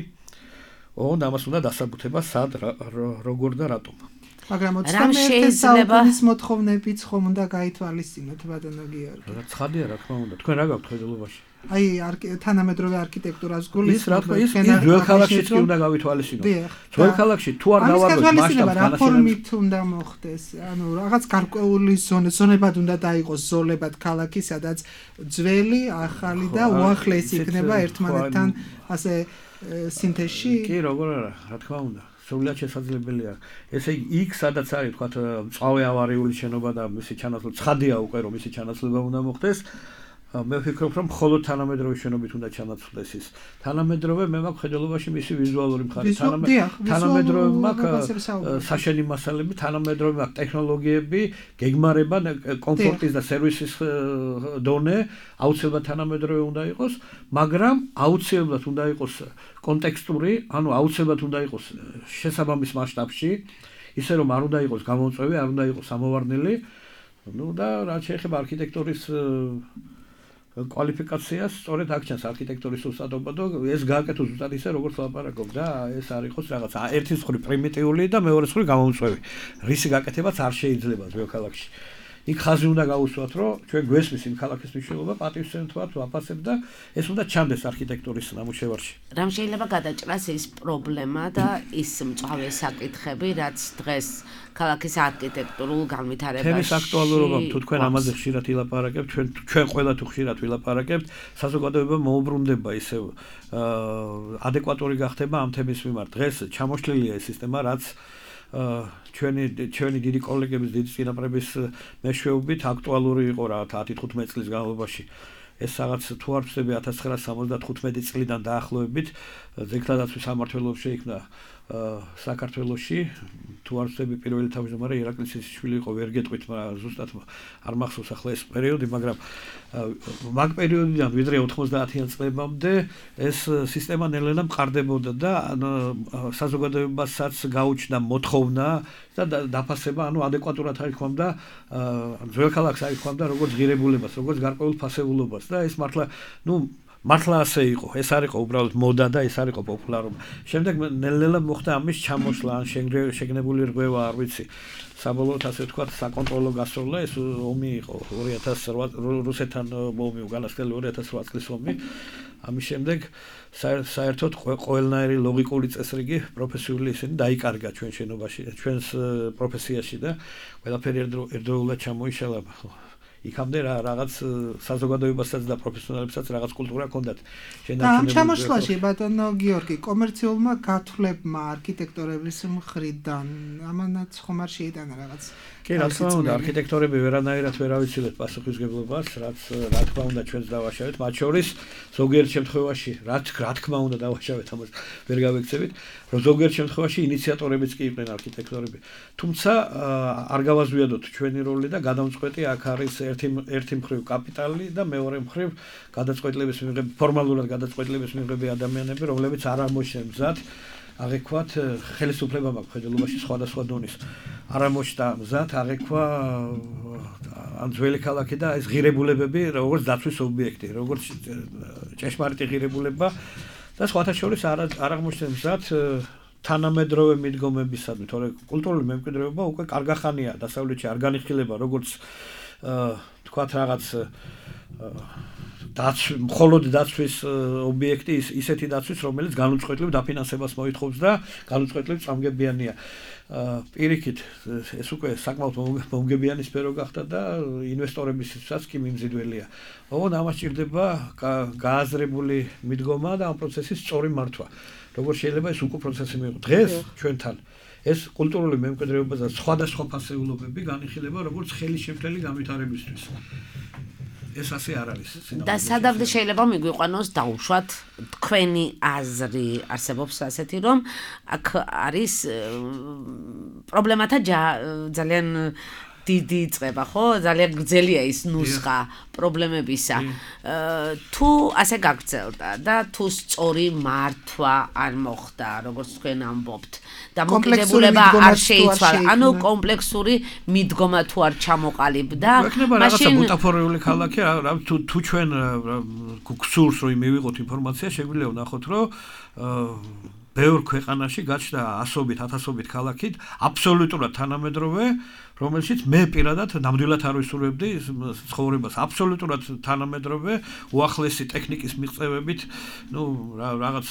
ოღონდ ამას უნდა დასაბუთება სად, როგორ და რატომ. მაგრამ 21 საუკუნის მოთხოვნებიც ხომ უნდა გაითვალისწინოთ, ბატონო გიორგი. ცხადია, რა თქმა უნდა. თქვენ რა გაქვთ ხედულობაში? აი, თანამედროვე არქიტექტურას გულისხმობთ. ის ძველ ქალაქშიც კი უნდა გავითვალისწინოთ. ძველ ქალაქში თუ არ გავარკვევთ მასშტაბს განაშენებას უნდა მოხდეს. ანუ რაღაც გარკვეული ზონებად უნდა დაიყოს ზოლებად ქალაქი, სადაც ძველი, ახალი და უახლესი იქნება ერთმანეთთან ასე სინთეზში. კი, როგორ არა, რა თქმა უნდა. სრულად შესაძლებელია. ესე იგი, იქ სადაც არის, თქვათ, მწვავე ავარიული შენობა და მისი ჩანაცვლება, ცხადია უკვე რომ მისი ჩანაცვლება უნდა მოხდეს. მე ვფიქრობ, რომ მხოლოდ თანამედროვე შენობით უნდა ჩამოცვლეს ის. თანამედროვე მე მაქვს ხედელობაში მისი ვიზუალური მხარე. თანამედროვე მაქვს საშენი მასალები, თანამედროვე მაქვს ტექნოლოგიები, გეგმარება, კომფორტის და სერვისის დონე, აუცილებლად თანამედროვე უნდა იყოს, მაგრამ აუცილებლად უნდა იყოს კონტექსტური, ანუ აუცილებლად უნდა იყოს შესაბამის მასშტაბში, ისე რომ არ უნდა იყოს გამომწვევი, არ უნდა იყოს ამოვარდნილი. და რაც შეეხება არქიტექტურის კვალიფიკაციას, სწორედ აქ ჩანს არქიტექტურის უსწავლობა და ეს გააკეთოს ზუსტად ისე, როგორც ლაპარაკობ და ეს არ იყოს რაღაცა ერთის მხრივ პრიმიტიული და მეორეს მხრივ გამომწვევი. რისი გაკეთებაც არ შეიძლება ძველ ქალაქში. იქ ხაზი უნდა გაუსვათ, რომ ჩვენ გვესმის იმ ქალაქის მნიშვნელობა, პატივსცემთ, ვაფასებ და ეს უნდა ჩანდეს არქიტექტურის ნამუშევარში. რამ შეიძლება გადაჭრას ის პრობლემა და ის მწვავე საკითხები, რაც დღეს ქალაქის არქიტექტურულ განვითარებაში. თემის აქტუალურობა თუ თქვენ ამაზე ხშირად ვილაპარაკებთ, ჩვენ ყველა თუ ხშირად ვილაპარაკებთ, საზოგადოება მოუბრუნდება ისევ ადეკვატური გახდება ამ თემის მიმართ. დღეს ჩამოშლილია ეს სისტემა, რაც ჩვენი დიდი კოლეგების დიდი წინაპრების მეშვეობით აქტუალური იყო რა 10-15 წლის განმავლობაში. ეს რაღაც თუ არ ვწდები 1975 წლიდან დაახლოებით ძეგლთადაცვის სამმართველოს შეიქმნა საქართველოში თუ არ ვწდები პირველი თავმჯდომარე ირაკლი ცისიშვილი იყო ვერ გეტყვით მაგრამ ზუსტად არ მახსოვს ახლა ეს პერიოდი მაგრამ მაგ პერიოდიდან ვიდრე 90-იან წლებამდე ეს სისტემა ნელ-ნელა მყარდებოდა და საზოგადოებასაც გაუჩნდა მოთხოვნა და დაფასება ანუ ადეკვატურად აიქვამდა ძველ ქალაქს აიქვამდა როგორც ღირებულებას როგორც გარკვეულ ფასეულობას და ეს მართლა ასე იყო. ეს არ იყო უბრალოდ მოდა და ეს არ იყო პოპულარობა. შემდეგ ნელ-ნელა მოხდა ამის ჩამოსვლა, ან შეგნებული რღვევა, არ ვიცი. საბოლოოდ ასე ვთქვათ, საკონტროლო გასროლა, ეს ომი იყო 2008 რუსეთთან ომი, უკანასკნელი 2008 წლის ომი. ამის შემდეგ საერთოდ ყველნაირი ლოგიკური წესრიგი პროფესიული ისინი დაიკარგა ჩვენ შენობაში, ჩვენს პროფესიაში და ყველაფერი ერთდროულად ჩამოიშალა. იქამდე რაღაც საზოგადოებასაც და პროფესიონალებსაც რაღაც კულტურა ჰქონდათ. ამ ჩამოშლაში ბატონო გიორგი კომერციულმა გათვლებმა არქიტექტორების მხრიდან ამანაც ხომ არ შეიტანა რაღაც კი, რა თქმა უნდა, არქიტექტორები ვერანაირად ვერ ავიცილეთ პასუხისმგებლობას, რაც რა თქმა უნდა ჩვენც დავაშავეთ, მათ შორის ზოგიერთ შემთხვევაში, რა თქმა უნდა დავაშავეთ, ამას ვერ გავექცევით, რომ ზოგიერთ შემთხვევაში ინიციატორებიც კი იყვნენ არქიტექტორები. თუმცა არ გავაზვიადოთ ჩვენი როლი და გადამწყვეტი აქ არის ერთი მხრივ კაპიტალი და მეორე მხრივ გადაწყვეტილების მიღები, ფორმალურად გადაწყვეტილების მიღები ადამიანები, რომლებიც არ ამოშენ მზად აღექვათ ხელისუფლებამ აქვს ხედელობაში სხვადასხვა დონის. არ ამოშთა მზად აღექვა ან ძველი ქალაქი და ეს ღირებულებები, როგორც დაცვის ობიექტი, როგორც ჭეშმარიტი ღირებულება და სხვათა შორის არ აღმოჩნდა მზად თანამედროვე მიდგომებისადმი, თორე კულტურული მემკვიდრეობა უკვე კარგახანია დასავლეთში არ განიხილება როგორც თქვათ რაღაც მხოლოდ დაცვის ობიექტი ისეთი დაცვის რომელიც განუწყვეტლივ დაფინანსებას მოითხოვს და განუწყვეტლივ წამგებიანია. პირიქით ეს უკვე საკმაოდ მომგებიანი სფერო გახდა და ინვესტორებისაც კი მიმზიდველია. ოღონდ ამას ჭირდება გააზრებული მიდგომა და ამ პროცესის სწორი მართვა. როგორ შეიძლება ეს უკვე პროცესი მიიღო დღეს ჩვენთან ეს კულტურული მემკვიდრეობა და სხვადასხვა ფასეულობები განიხილება როგორც ხელისშემშლელი განვითარებისთვის. ეს ასე არ არის. და სადამდე შეიძლება მიგვიყვანოს დაუშვათ თქვენი აზრი არსებობს ასეთი რომ აქ არის პრობლემათა ძალიან დიდი წება, ხო? ძალიან გრძელია ის ნუსხა პრობლემებისა. თუ ასე გაგრძელდა და თუ სწორი მართვა არ მოხდა, როგორც თქვენ ამბობთ, და მოკიდებულება არ შეიცვალა, ანუ კომპლექსური მიდგომა თუ არ ჩამოყალიბდა, მაშინ ბუტაფორიული ქალაქი, თუ ჩვენ გსურს რომ მივიღოთ ინფორმაცია, შეგვიძლია ვნახოთ, რომ ბევრ ქვეყანაში გაჩნდა ასობით, ათასობით ქალაქით აბსოლუტურად თანამედროვე, რომელშიც მე პირადად ნამდვილად არ ვისურვებდი ცხოვრებას. აბსოლუტურად თანამედროვე, უახლესი ტექნიკის მიღწევებით, რაღაც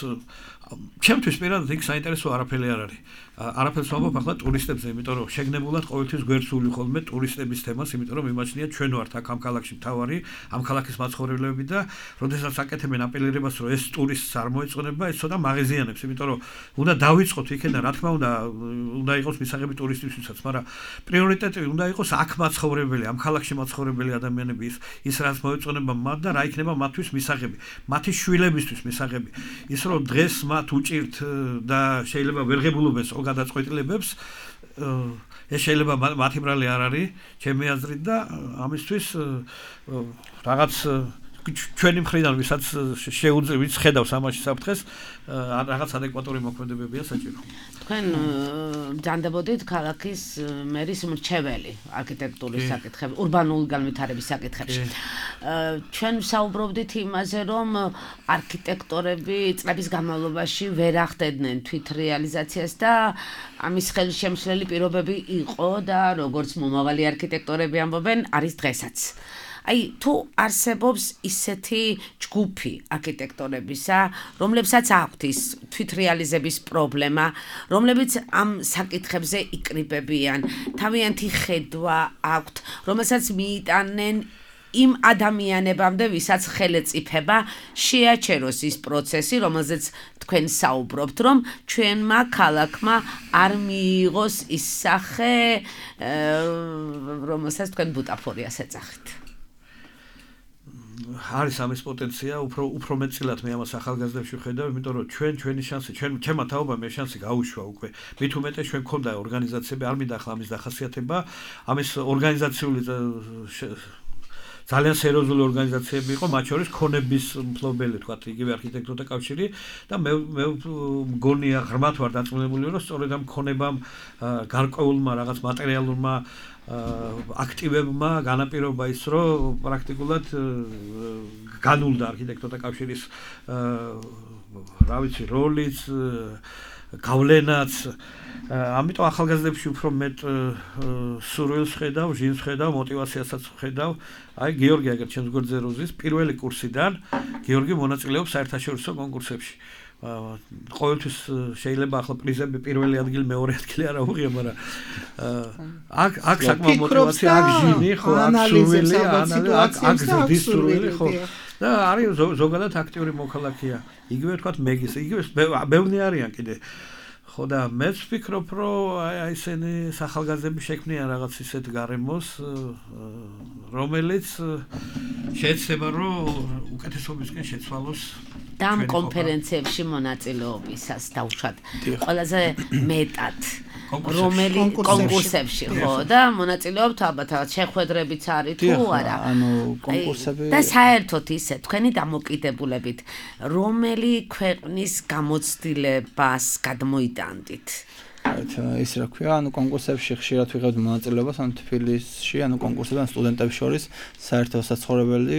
ჩემთვის პირადად იქ საინტერესო არაფერი არ არის. არაფერს ვამბობ ახლა ტურისტებზე, იმიტომ რომ შეგნებულად ყოველთვის გვერდსული ხოლმე ტურისტების თემას, იმიტომ რომ იმაჩნია ჩვენ ვართ აქ ამ ქალაქში მთავარი, ამ ქალაქის მაცხოვრებლები და როდესაც აკეთებენ აპელირებას, რომ ეს ტურისტს არ მოეწონება, ეს ცოტა მაღეზიანებს, იმიტომ რომ უნდა დავიწყოთ იქიდან, რა თქმა უნდა იყოს მისაღები ტურისტებისთვისაც, მაგრამ პრიორიტეტი უნდა იყოს აქ მაცხოვრებელი, ამ ქალაქში მაცხოვრებელი ადამიანები, ის რაც მოეწონება მათ და რა იქნება მათთვის მისაღები, მათი შვილებისთვის მისაღები. ის რომ დღეს მათ უჭირთ და შეიძლება ვერ ღებულობენ გადაწყვეტილებებს ეს შეიძლება მათი ბრალი არ არის ჩემი აზრით და ამისთვის რაღაც ჩვენი მხრიდან ვისაც შეუძლებს ხედავს ამაში საფრთხეს რაღაც ადეკვატური მოქმედებებია საჭირო. თქვენ ბრძანდებოდით ქალაქის მერის მრჩეველი არქიტექტურის საკითხებში, ურბანული განვითარების საკითხებში. ჩვენ ვსაუბრობდით იმაზე, რომ არქიტექტორები წლების განმავლობაში ვერ ახდედნენ თვით რეალიზაციას და ამის ხელშემშლელი პირობები იყო და როგორც მომავალი არქიტექტორები ამბობენ, არის დღესაც. Აი თუ არსებობს ისეთი ჯგუფი არქიტექტორებისა, რომლებსაც აქვთ ის თვითრეალიზების პრობლემა, რომლებიც ამ საკითხებზე იკრიბებიან, თავიანთი ხედვა აქვთ, რომელსაც მიიტანენ იმ ადამიანებამდე, ვისაც ხელეწიფება შეაჩეროს ის პროცესი, რომელზეც თქვენ საუბრობთ, რომ ჩვენმა ქალაქმა არ მიიღოს ის სახე, რომელსაც თქვენ ბუტაფორიას ეძახით. არის ამის პოტენცია, უფრო მეტწილად მე ამას ახალგაზრდებში ვხედავ, იმიტომ რომ ჩვენი შანსი, ჩემმა თაობამ ეს შანსი გაუშვა უკვე. მით უმეტეს ჩვენ გქონდა ორგანიზაციები, არ მინდა ახლა ამის დახასიათება, ამის ორგანიზაციული ძალიან სერიოზული ორგანიზაციები იყო, მათ შორის ქონების მფლობელი, თქვათ, იგივე არქიტექტორთა კავშირი და მე მგონია ღრმად ვარ დაწუნებული, რომ სწორედ ამ ქონებამ გარკვეულმა რაღაც მატერიალურმა აქტივებმა განაპირობა ის, რომ პრაქტიკულად განულდა არქიტექტორთა კავშირის რა ვიცი, როლიც, გავლენაც. ამიტომ ახალგაზრდებში უფრო მეტ სურვილს ხედავ, ჟინს ხედავ, мотивაციასაც ხედავ. აი გიორგი აგერ ჩემს გვერდზე როზის პირველი კურსიდან გიორგი მონაწილეობს საერთაშორისო კონკურსებში. ყოველთვის შეიძლება ახლა პრიზები პირველი ადგილი, მეორე ადგილი არ აუღია, მაგრამ აქ საკმაოდ мотивაცია, აქ ჟინი, ხო, აქ სურვილი, აქ ზრდის სურვილი, ხო. და არის ზოგადად აქტიური მოქალაქეა. იგივე თქვათ მეგის, იგივე ბევრი არიან კიდე. ხო და მეც ვფიქრობ, რომ აი ესენი სახალგაზრდები შექმნიან რაღაც ისეთ გარემოს, რომელიც შეეცდება, რომ უკეთესობისკენ შეცვალოს და ამ კონფერენციებში მონაწილეობისას დავუშვათ ყველაზე მეტად რომელი კონკურსებში ხო და მონაწილეობთ ალბათ შეხვედრებიც არის თუ არა ანუ კონკურსები და საერთოდ ისე თქვენი დამოკიდებულებით რომელი ქვეყნის გამოცდილებას გადმოიტანდით ის რა ქვია ანუ კონკურსებში ხშირად ვიღებთ მონაწილეობას ანუ თბილისში ანუ კონკურსებთან სტუდენტებს შორის საერთო საცხოვრებელი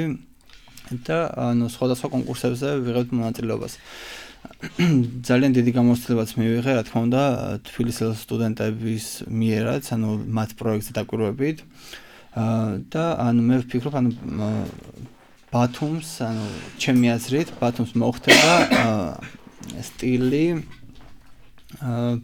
და ანუ სხვადასხვა კონკურსებზე ვიღებთ მონაწილეობას ძალიან დიდი გამოცდილებაც მივიღე, რა თქმა უნდა, თბილისის სტუდენტების მიერაც, ანუ მათ პროექტზე დაკვირვებით. და ანუ მე ვფიქრობ, ანუ ბათუმს, ანუ ჩემი აზრით, ბათუმს მოხდება სტილი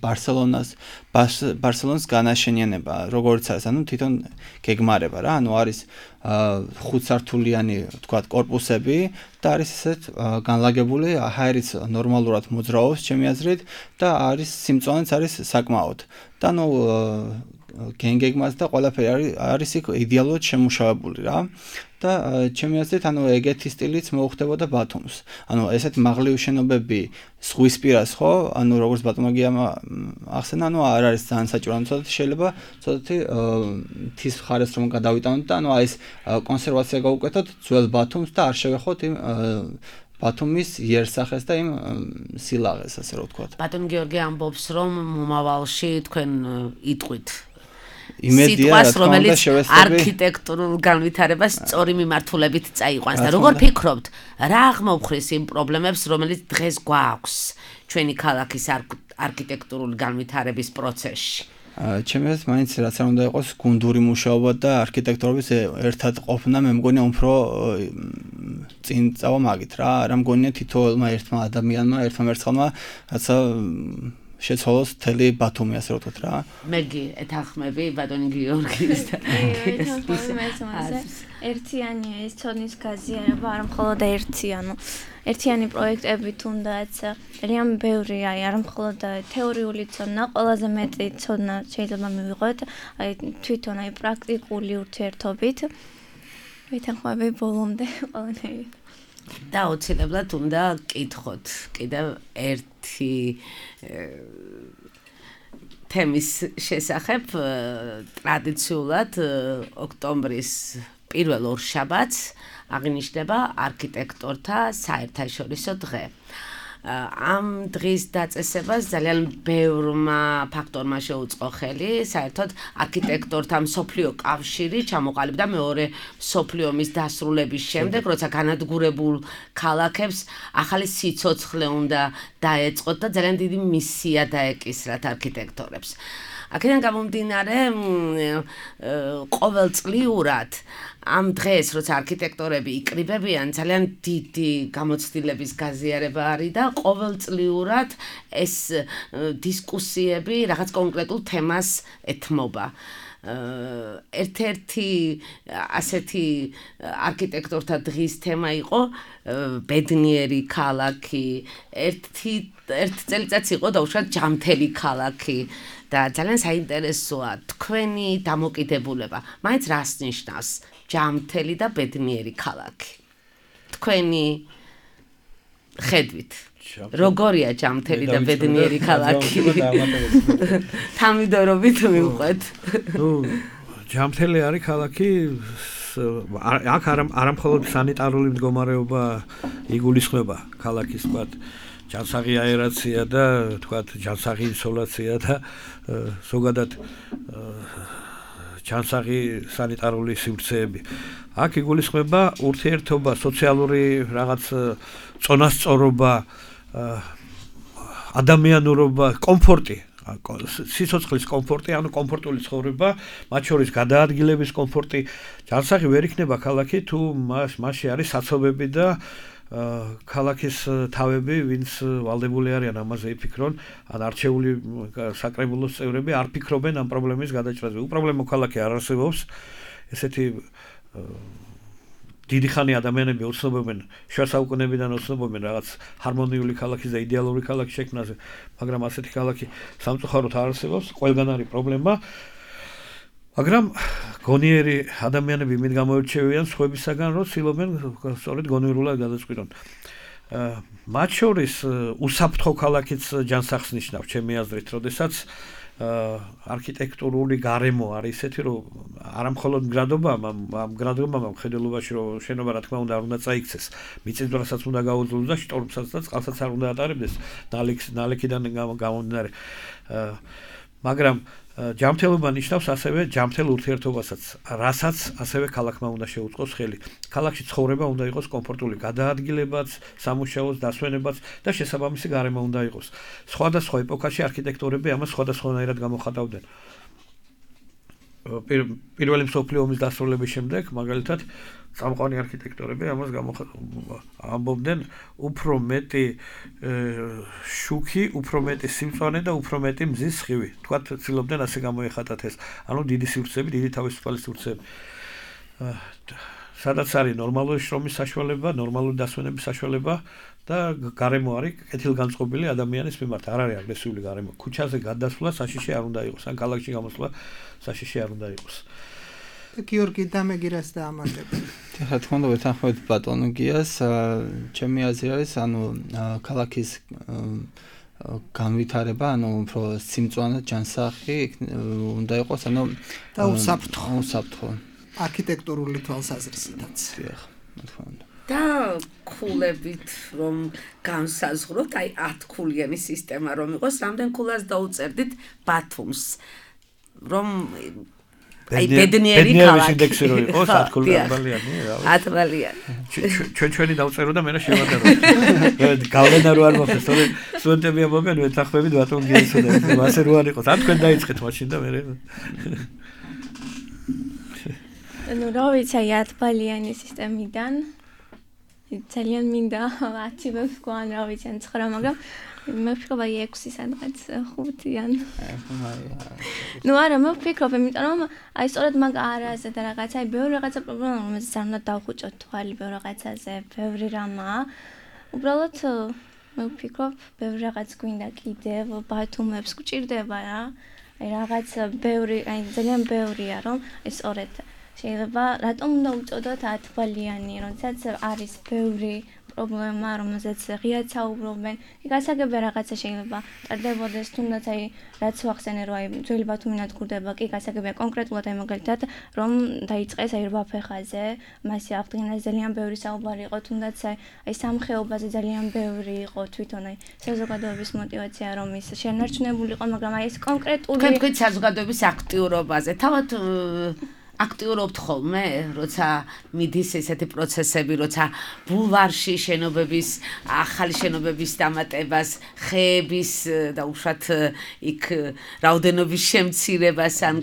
ბარსელონას განაშენიანება, როგორც არის, ანუ თვითონ გეგმარება რა, ანუ არის 5 სართულიანი, თქვათ, корпуსები და არის ესეთ განლაგებული, აერიც ნორმალურად მოძრაობს, ჩემი აზრით და არის სიმწვანეც არის საკმაოდ. და ანუ გეგმას და ყველაფერი არის იქ იდეალურად შემუშავებული რა. და ჩემი აზრით, ანუ ეგეთი სტილიც მოუხდებოდა ბათუმს. ანუ ესეთ მაღლივ შენობები ზღვისპირას ხო, ანუ როგორც ბატონაგია ახსენა, ანუ არ არის ძალიან საჭირო, ანუ ცოტათი შეიძლება ცოტათი თის მხარეს რომ გადავიტანოთ და ანუ აი ეს კონსერვაცია გავუკეთოთ ძველ ბათუმს და არ შევეხოთ იმ ბათუმის იერსახეს და იმ სილაღეს, ასე რომ ვთქვათ. ბატონ გიორგი ამბობს, რომ მომავალში თქვენ იტყვით იმედია რომელიც არქიტექტურულ განვითარებას სწორი მიმართულებით წაიყვანს და როგორ ფიქრობთ, რა აღმოვხრის იმ პრობლემებს, რომელიც დღეს გვაქვს ჩვენი ქალაქის არქიტექტურული განვითარების პროცესში? ჩემი აზრით, მაინც რაც არ უნდა იყოს გუნდური მუშაობა და არქიტექტორების ერთად ყოფნა, მე მგონია უფრო წინ წავა მაგით რა, რა მგონია თითოეულმა ერთმა ადამიანმა, ერთმა მერცხალმა, რაცა შეცვალოს მთელი ბათუმი, ასე რომ ვთქვათ რა. მეგი ეთანხმები ბატონი გიორგის და ერთიანია ეს ცოდნის გაზიარება, არა მხოლოდ ერთიანი პროექტები თუნდაც ძალიან ბევრი, არა მხოლოდ თეორიული ცოდნა, ყველაზე მეტი ცოდნა შეიძლება მივიღოთ თვითონ პრაქტიკული ურთიერთობით. ვითანხმები ბოლომდე ყველანაირად. და აუცილებლად უნდა კითხოთ კიდევ ერთი თემის შესახებ ტრადიციულად ოქტომბრის პირველ ორშაბათს აღინიშნება არქიტექტორთა საერთაშორისო დღე. ამ დღის დაწესებას ძალიან ბევრმა ფაქტორმა შეუწყო ხელი, საერთოდ არქიტექტორთა მსოფლიო კავშირი ჩამოყალიბდა მეორე მსოფლიო ომის დასრულების შემდეგ, როცა განადგურებულ ქალაქებს ახალი სიცოცხლე უნდა დაეწყოთ და ძალიან დიდი მისია დაეკისრათ არქიტექტორებს. აქედან გამომდინარე, ყოველწლიურად ამ დღეს, როცა არქიტექტორები იკრიბებიან, ძალიან დიდი გამოცდილების გაზიარება არის და ყოველწლიურად ეს დისკუსიები რაღაც კონკრეტულ თემას ეთმობა. ერთ-ერთი ასეთი არქიტექტორთა დღის თემა იყო ბედნიერი ქალაქი, ერთ წელიწადს იყო დაუშვათ ჯამთელი ქალაქი და ძალიან საინტერესოა თქვენი დამოკიდებულება. მაინც რას ნიშნავს ჯამთელი და ბედნიერი ქალაქი? თქვენი ხედვით როგორია ჯამთელი და ბედნიერი ქალაქი? თამიდორობით მივყვეთ. ჯამთელი არის ქალაქი, აქ არა მხოლოდ სანიტარული მდგომარეობა იგულისხმება ქალაქის თქვათ ჯანსაღი აერაცია და თქვათ ჯანსაღი ისოლაცია და ზოგადად ჯანსაღი სანიტარული სივრცეები. აქ იგულისხმება ურთიერთობა, სოციალური რაღაც წონასწორობა, ადამიანურობა, კომფორტი, სიცოცხლის კომფორტი, ანუ კომფორტული ცხოვრება, მათ შორის გადაადგილების კომფორტი. ჯანსაღი ვერ იქნება ქალაქი თუ მასში არის საცობები და ქალაქის თავები, ვინც ვალდებული არიან ამაზე იფიქრონ, ან არჩეული საკრებულოს წევრები არ ფიქრობენ ამ პრობლემის გადაჭრაზე. უპრობლემო ქალაქი არ არსებობს. ესეთი დიდი ხანი ადამიანები ოცნობენ, შუა საუკუნეებიდან ოცნობენ რაღაც ჰარმონიული ქალაქის და იდეალური ქალაქის შექმნაზე, მაგრამ ასეთი ქალაქი სამწუხაროდ არ არსებობს. ყველგან არის პრობლემა. მაგრამ გონიერი ადამიანები იმით გამოირჩევიან სხვებისაგან, რომ ცდილობენ სწორედ გონიერულად გადაწყვიტონ. მათ შორის უსაფრთხო ქალაქიც ჯანსაღს ნიშნავს, ჩემი აზრით, როდესაც არქიტექტურული გარემო არის ისეთი, რომ არა მხოლოდ მგრადობამ, ამ მგრადობამ მხედველობაში, რომ შენობა რა თქმა უნდა არ უნდა წაიქცეს, მიწისძვრასაც უნდა გაუძლოს და შტორმსაც და წყალსაც არ უნდა ატარებდეს, ნალექიდან გამომდინარე. მაგრამ ჯამთელობა ნიშნავს ასევე ჯამთელ ურთიერთობასაც, რასაც ასევე ქალაქმა უნდა შეუწყოს ხელი. ქალაქში ცხოვრება უნდა იყოს კომფორტული, გადაადგილებაც, სამუშაოს დასვენებაც და შესაბამისი გარემო უნდა იყოს. სხვადასხვა ეპოქაში არქიტექტორები ამას სხვადასხვანაირად გამოხატავდნენ. პირველი მსოფლიო ომის დასრულების შემდეგ, მაგალითად, წამყვანი არქიტექტორები ამას ამბობდნენ უფრო მეტი შუქი, უფრო მეტი სიმწვანე და უფრო მეტი მზის სხივი. თქვათ, ცდილობდნენ ასე გამოეხატათ ეს. ანუ დიდი სივრცეები, დიდი თავისუფალი სივრცეები. სადაც არის ნორმალური შრომის საშუალება, ნორმალური დასვენების საშუალება და გარემო არის კეთილგანწყობილი ადამიანის მიმართ, არ არის აგრესიული გარემო. ქუჩაზე გადასვლა საშიში არ უნდა იყოს, ან ქალაქში გამოსვლა საშიში არ უნდა იყოს. გიორგი დამეგირას და ამატებს. რა თქმა უნდა, ვეთანხმებით ბატონ გიას, ჩემი აზრი არის, ანუ ქალაქის განვითარება, ანუ უფრო სიმწვანე ჯანსაღი უნდა იყოს, ანუ და უსაფრთხო. არქიტექტურული თვალსაზრისითაც. დიახ, რა თქმა უნდა. და ქულებით რომ განსაზღვროთ, აი 10 ქულიანი სისტემა რომ იყოს, რამდენ ქულას დაუწერდით ბათუმს, რომ აი ბედნიერი ქალაქი ინდექსი რო იყოს 10 ქულიანი, რა ვიცი. 10 ჩვენი დავწერო და მე რა შევადარო. გავლენა რო არ მოხდეს, თორე სტუდენტები ამბობენ, ვეთანხმებით ბატონ გიასო და ასე რო არ იყოს. ან თქვენ დაიწყეთ მაშინ და მე ну, რა ვიცი, 10 ბალიანი სისტემიდან ძალიან მინდა 10 ვებსკო ან რა ვიცი ან 9, მაგრამ მე ვფიქრობ აი 6 სადღაც 5-იან. ნუ არა, მე ვფიქრობ, იმიტომ რომ აი სწორედ მაგ არაზე და რაღაცა, აი ბევრი რაღაცა პრობლემა, რომელსაც არ უნდა დავხუჭოთ თვალი ბევრ რაღაცაზე, ბევრი რამაა. უბრალოდ მე ვფიქრობ, ბევრი რაღაც გვინდა კიდევ, ბათუმებს გვჭირდება რა. აი რაღაც ბევრი, აი ძალიან ბევრია, რომ აი სწორედ შეიძლება რატომ უნდა უწოდოთ 10 თვალიანი, როდესაც არის ბევრი პრობლემა, რომელზეც ღიად საუბრობენ. იქ გასაგებია რაღაცა შეიძლება ტარდებოდეს, თუნდაც აი რაც ვახსენე, რომ აი ძველი ბათუმი ნადგურდება, კი გასაგებია კონკრეტულად აი მაგალითად, რომ დაიწყეს აი 8 ფეხაზე, მასე აღდგენას ძალიან ბევრი საუბარი იყო, თუნდაც აი სამხეობაზე ძალიან ბევრი იყო თვითონ აი საზოგადოების мотиваცია, რომ ის შენარჩუნებული იყო, მაგრამ აი ეს კონკრეტული თქვენ საზოგადოების აქტიურობაზე თავად აქტიურობთ ხოლმე, როცა მიდის ესეთი პროცესები, როცა ბულვარში შენობების, ახალი შენობების დამატებას, ხეების და უშუალოდ იქ რაოდენობის შემცირებას ან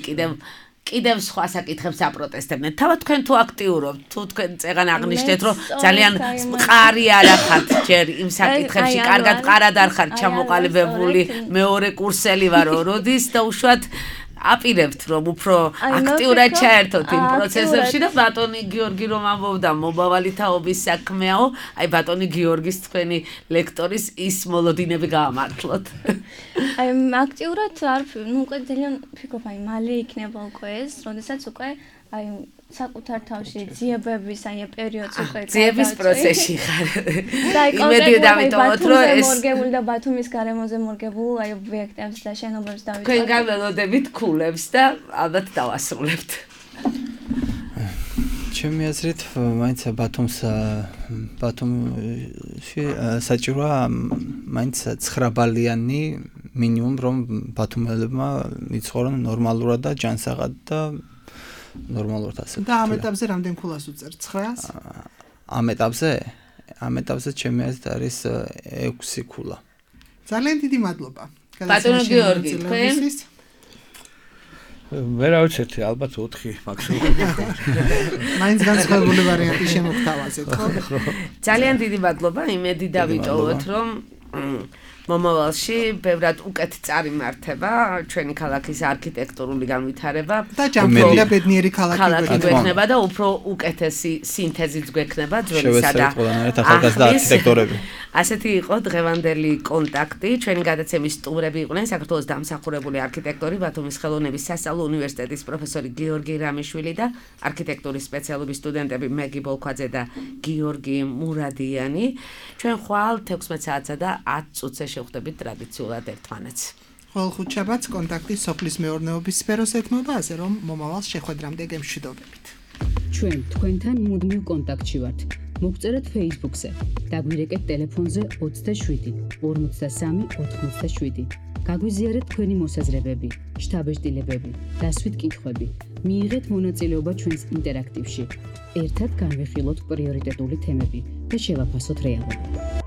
კიდევ სხვა საკითხებს აპროტესტებდნენ. თავად თქვენ თუ აქტიურობთ, თუ თქვენ წეგან აღნიშნეთ, რომ ძალიან მყარი არ ახართ ჯერ იმ საკითხებში, კარგად მყარად არ ხართ ჩამოყალიბებული, მეორე კურსელი ვარო, როდის და უშუალოდ აპირებთ რომ უფრო აქტიურად ჩაერთოთ იმ პროცესებში და ბატონი გიორგი რომ ამბობდა მომავალი თაობის საქმეაო, აი ბატონი გიორგის თქვენი ლექტორის ის მოლოდინები გაამართლოთ. აი აქტიურად არ ნუ უკვე ძალიან ვფიქრობ აი მალე იქნება უკვე ეს, როდესაც უკვე აი საკუთარ თავში ძიებების აი პერიოდს უკვე ძიების პროცესში ხარ. იმედი დავიტოვოთ რომ ეს მორგებული და ბათუმის გარემოზე მორგებულ აი ობიექტებს და შენობებს დავიტოვოთ. თქვენ გაველოდებით ქულებს და ალბათ დავასრულებთ. ჩემი აზრით მაინც ბათუმში საჭიროა მაინც 9 ბალიანი მინიმუმ რომ ბათუმელებმა იცხოვრონ ნორმალურად და ჯანსაღად და ნორმალურად ასე. და ამ ეტაპზე რამდენ ქულას უწერ? 900-ს? ამ ეტაპზე ჩემი აზრით არის 6 ქულა. ძალიან დიდი მადლობა. ბატონო გიორგი, თქვენ? მე რა ვიცი, ალბათ 4 მაქსიმუმ. მაინც განსხვავებული ვარიანტი შემოგთავაზეთ, ხო? ძალიან დიდი მადლობა, იმედი დავიტოვოთ, რომ მომავალში ბევრად უკეთ წარიმართება ჩვენი ქალაქის არქიტექტურული განვითარება და ჯანმრთელი და ბედნიერი ქალაქი გვექნება და უფრო უკეთესი სინთეზიც გვექნება ძველისა და ახალგაზრდა არქიტექტორები. ასეთი იყო დღევანდელი კონტაქტი. ჩვენი გადაცემის სტუმრები იყვნენ საქართველოს დამსახურებული არქიტექტორი, ბათუმის ხელოვნების სასწავლო უნივერსიტეტის პროფესორი გიორგი რამიშვილი და არქიტექტურის სპეციალობის სტუდენტები მეგი ბოლქვაძე და გიორგი მურადიანი. ჩვენ ხვალ 16 საათსა და 10 წუთზე შევხვდებით ტრადიციულად ერთმანეთს. ყოველ ხუთშაბათს კონტაქტი სოფლის მეურნეობის სფეროს ეთმობაზე, რომ მომავალს შეხვედრამდე გემშვიდობებით. ჩვენ თქვენთან მუდმივ კონტაქტში ვართ. მოგწერეთ Facebook-ზე, დაგვირეკეთ ტელეფონზე 27 53 87. გაგვიზიარეთ თქვენი მოსაზრებები, შთაბეჭდილებები, დასვით კითხვები. მიიღეთ მონაწილეობა ჩვენს ინტერაქტივში. ერთად განვიხილოთ პრიორიტეტული თემები და შევაფასოთ რეალობა.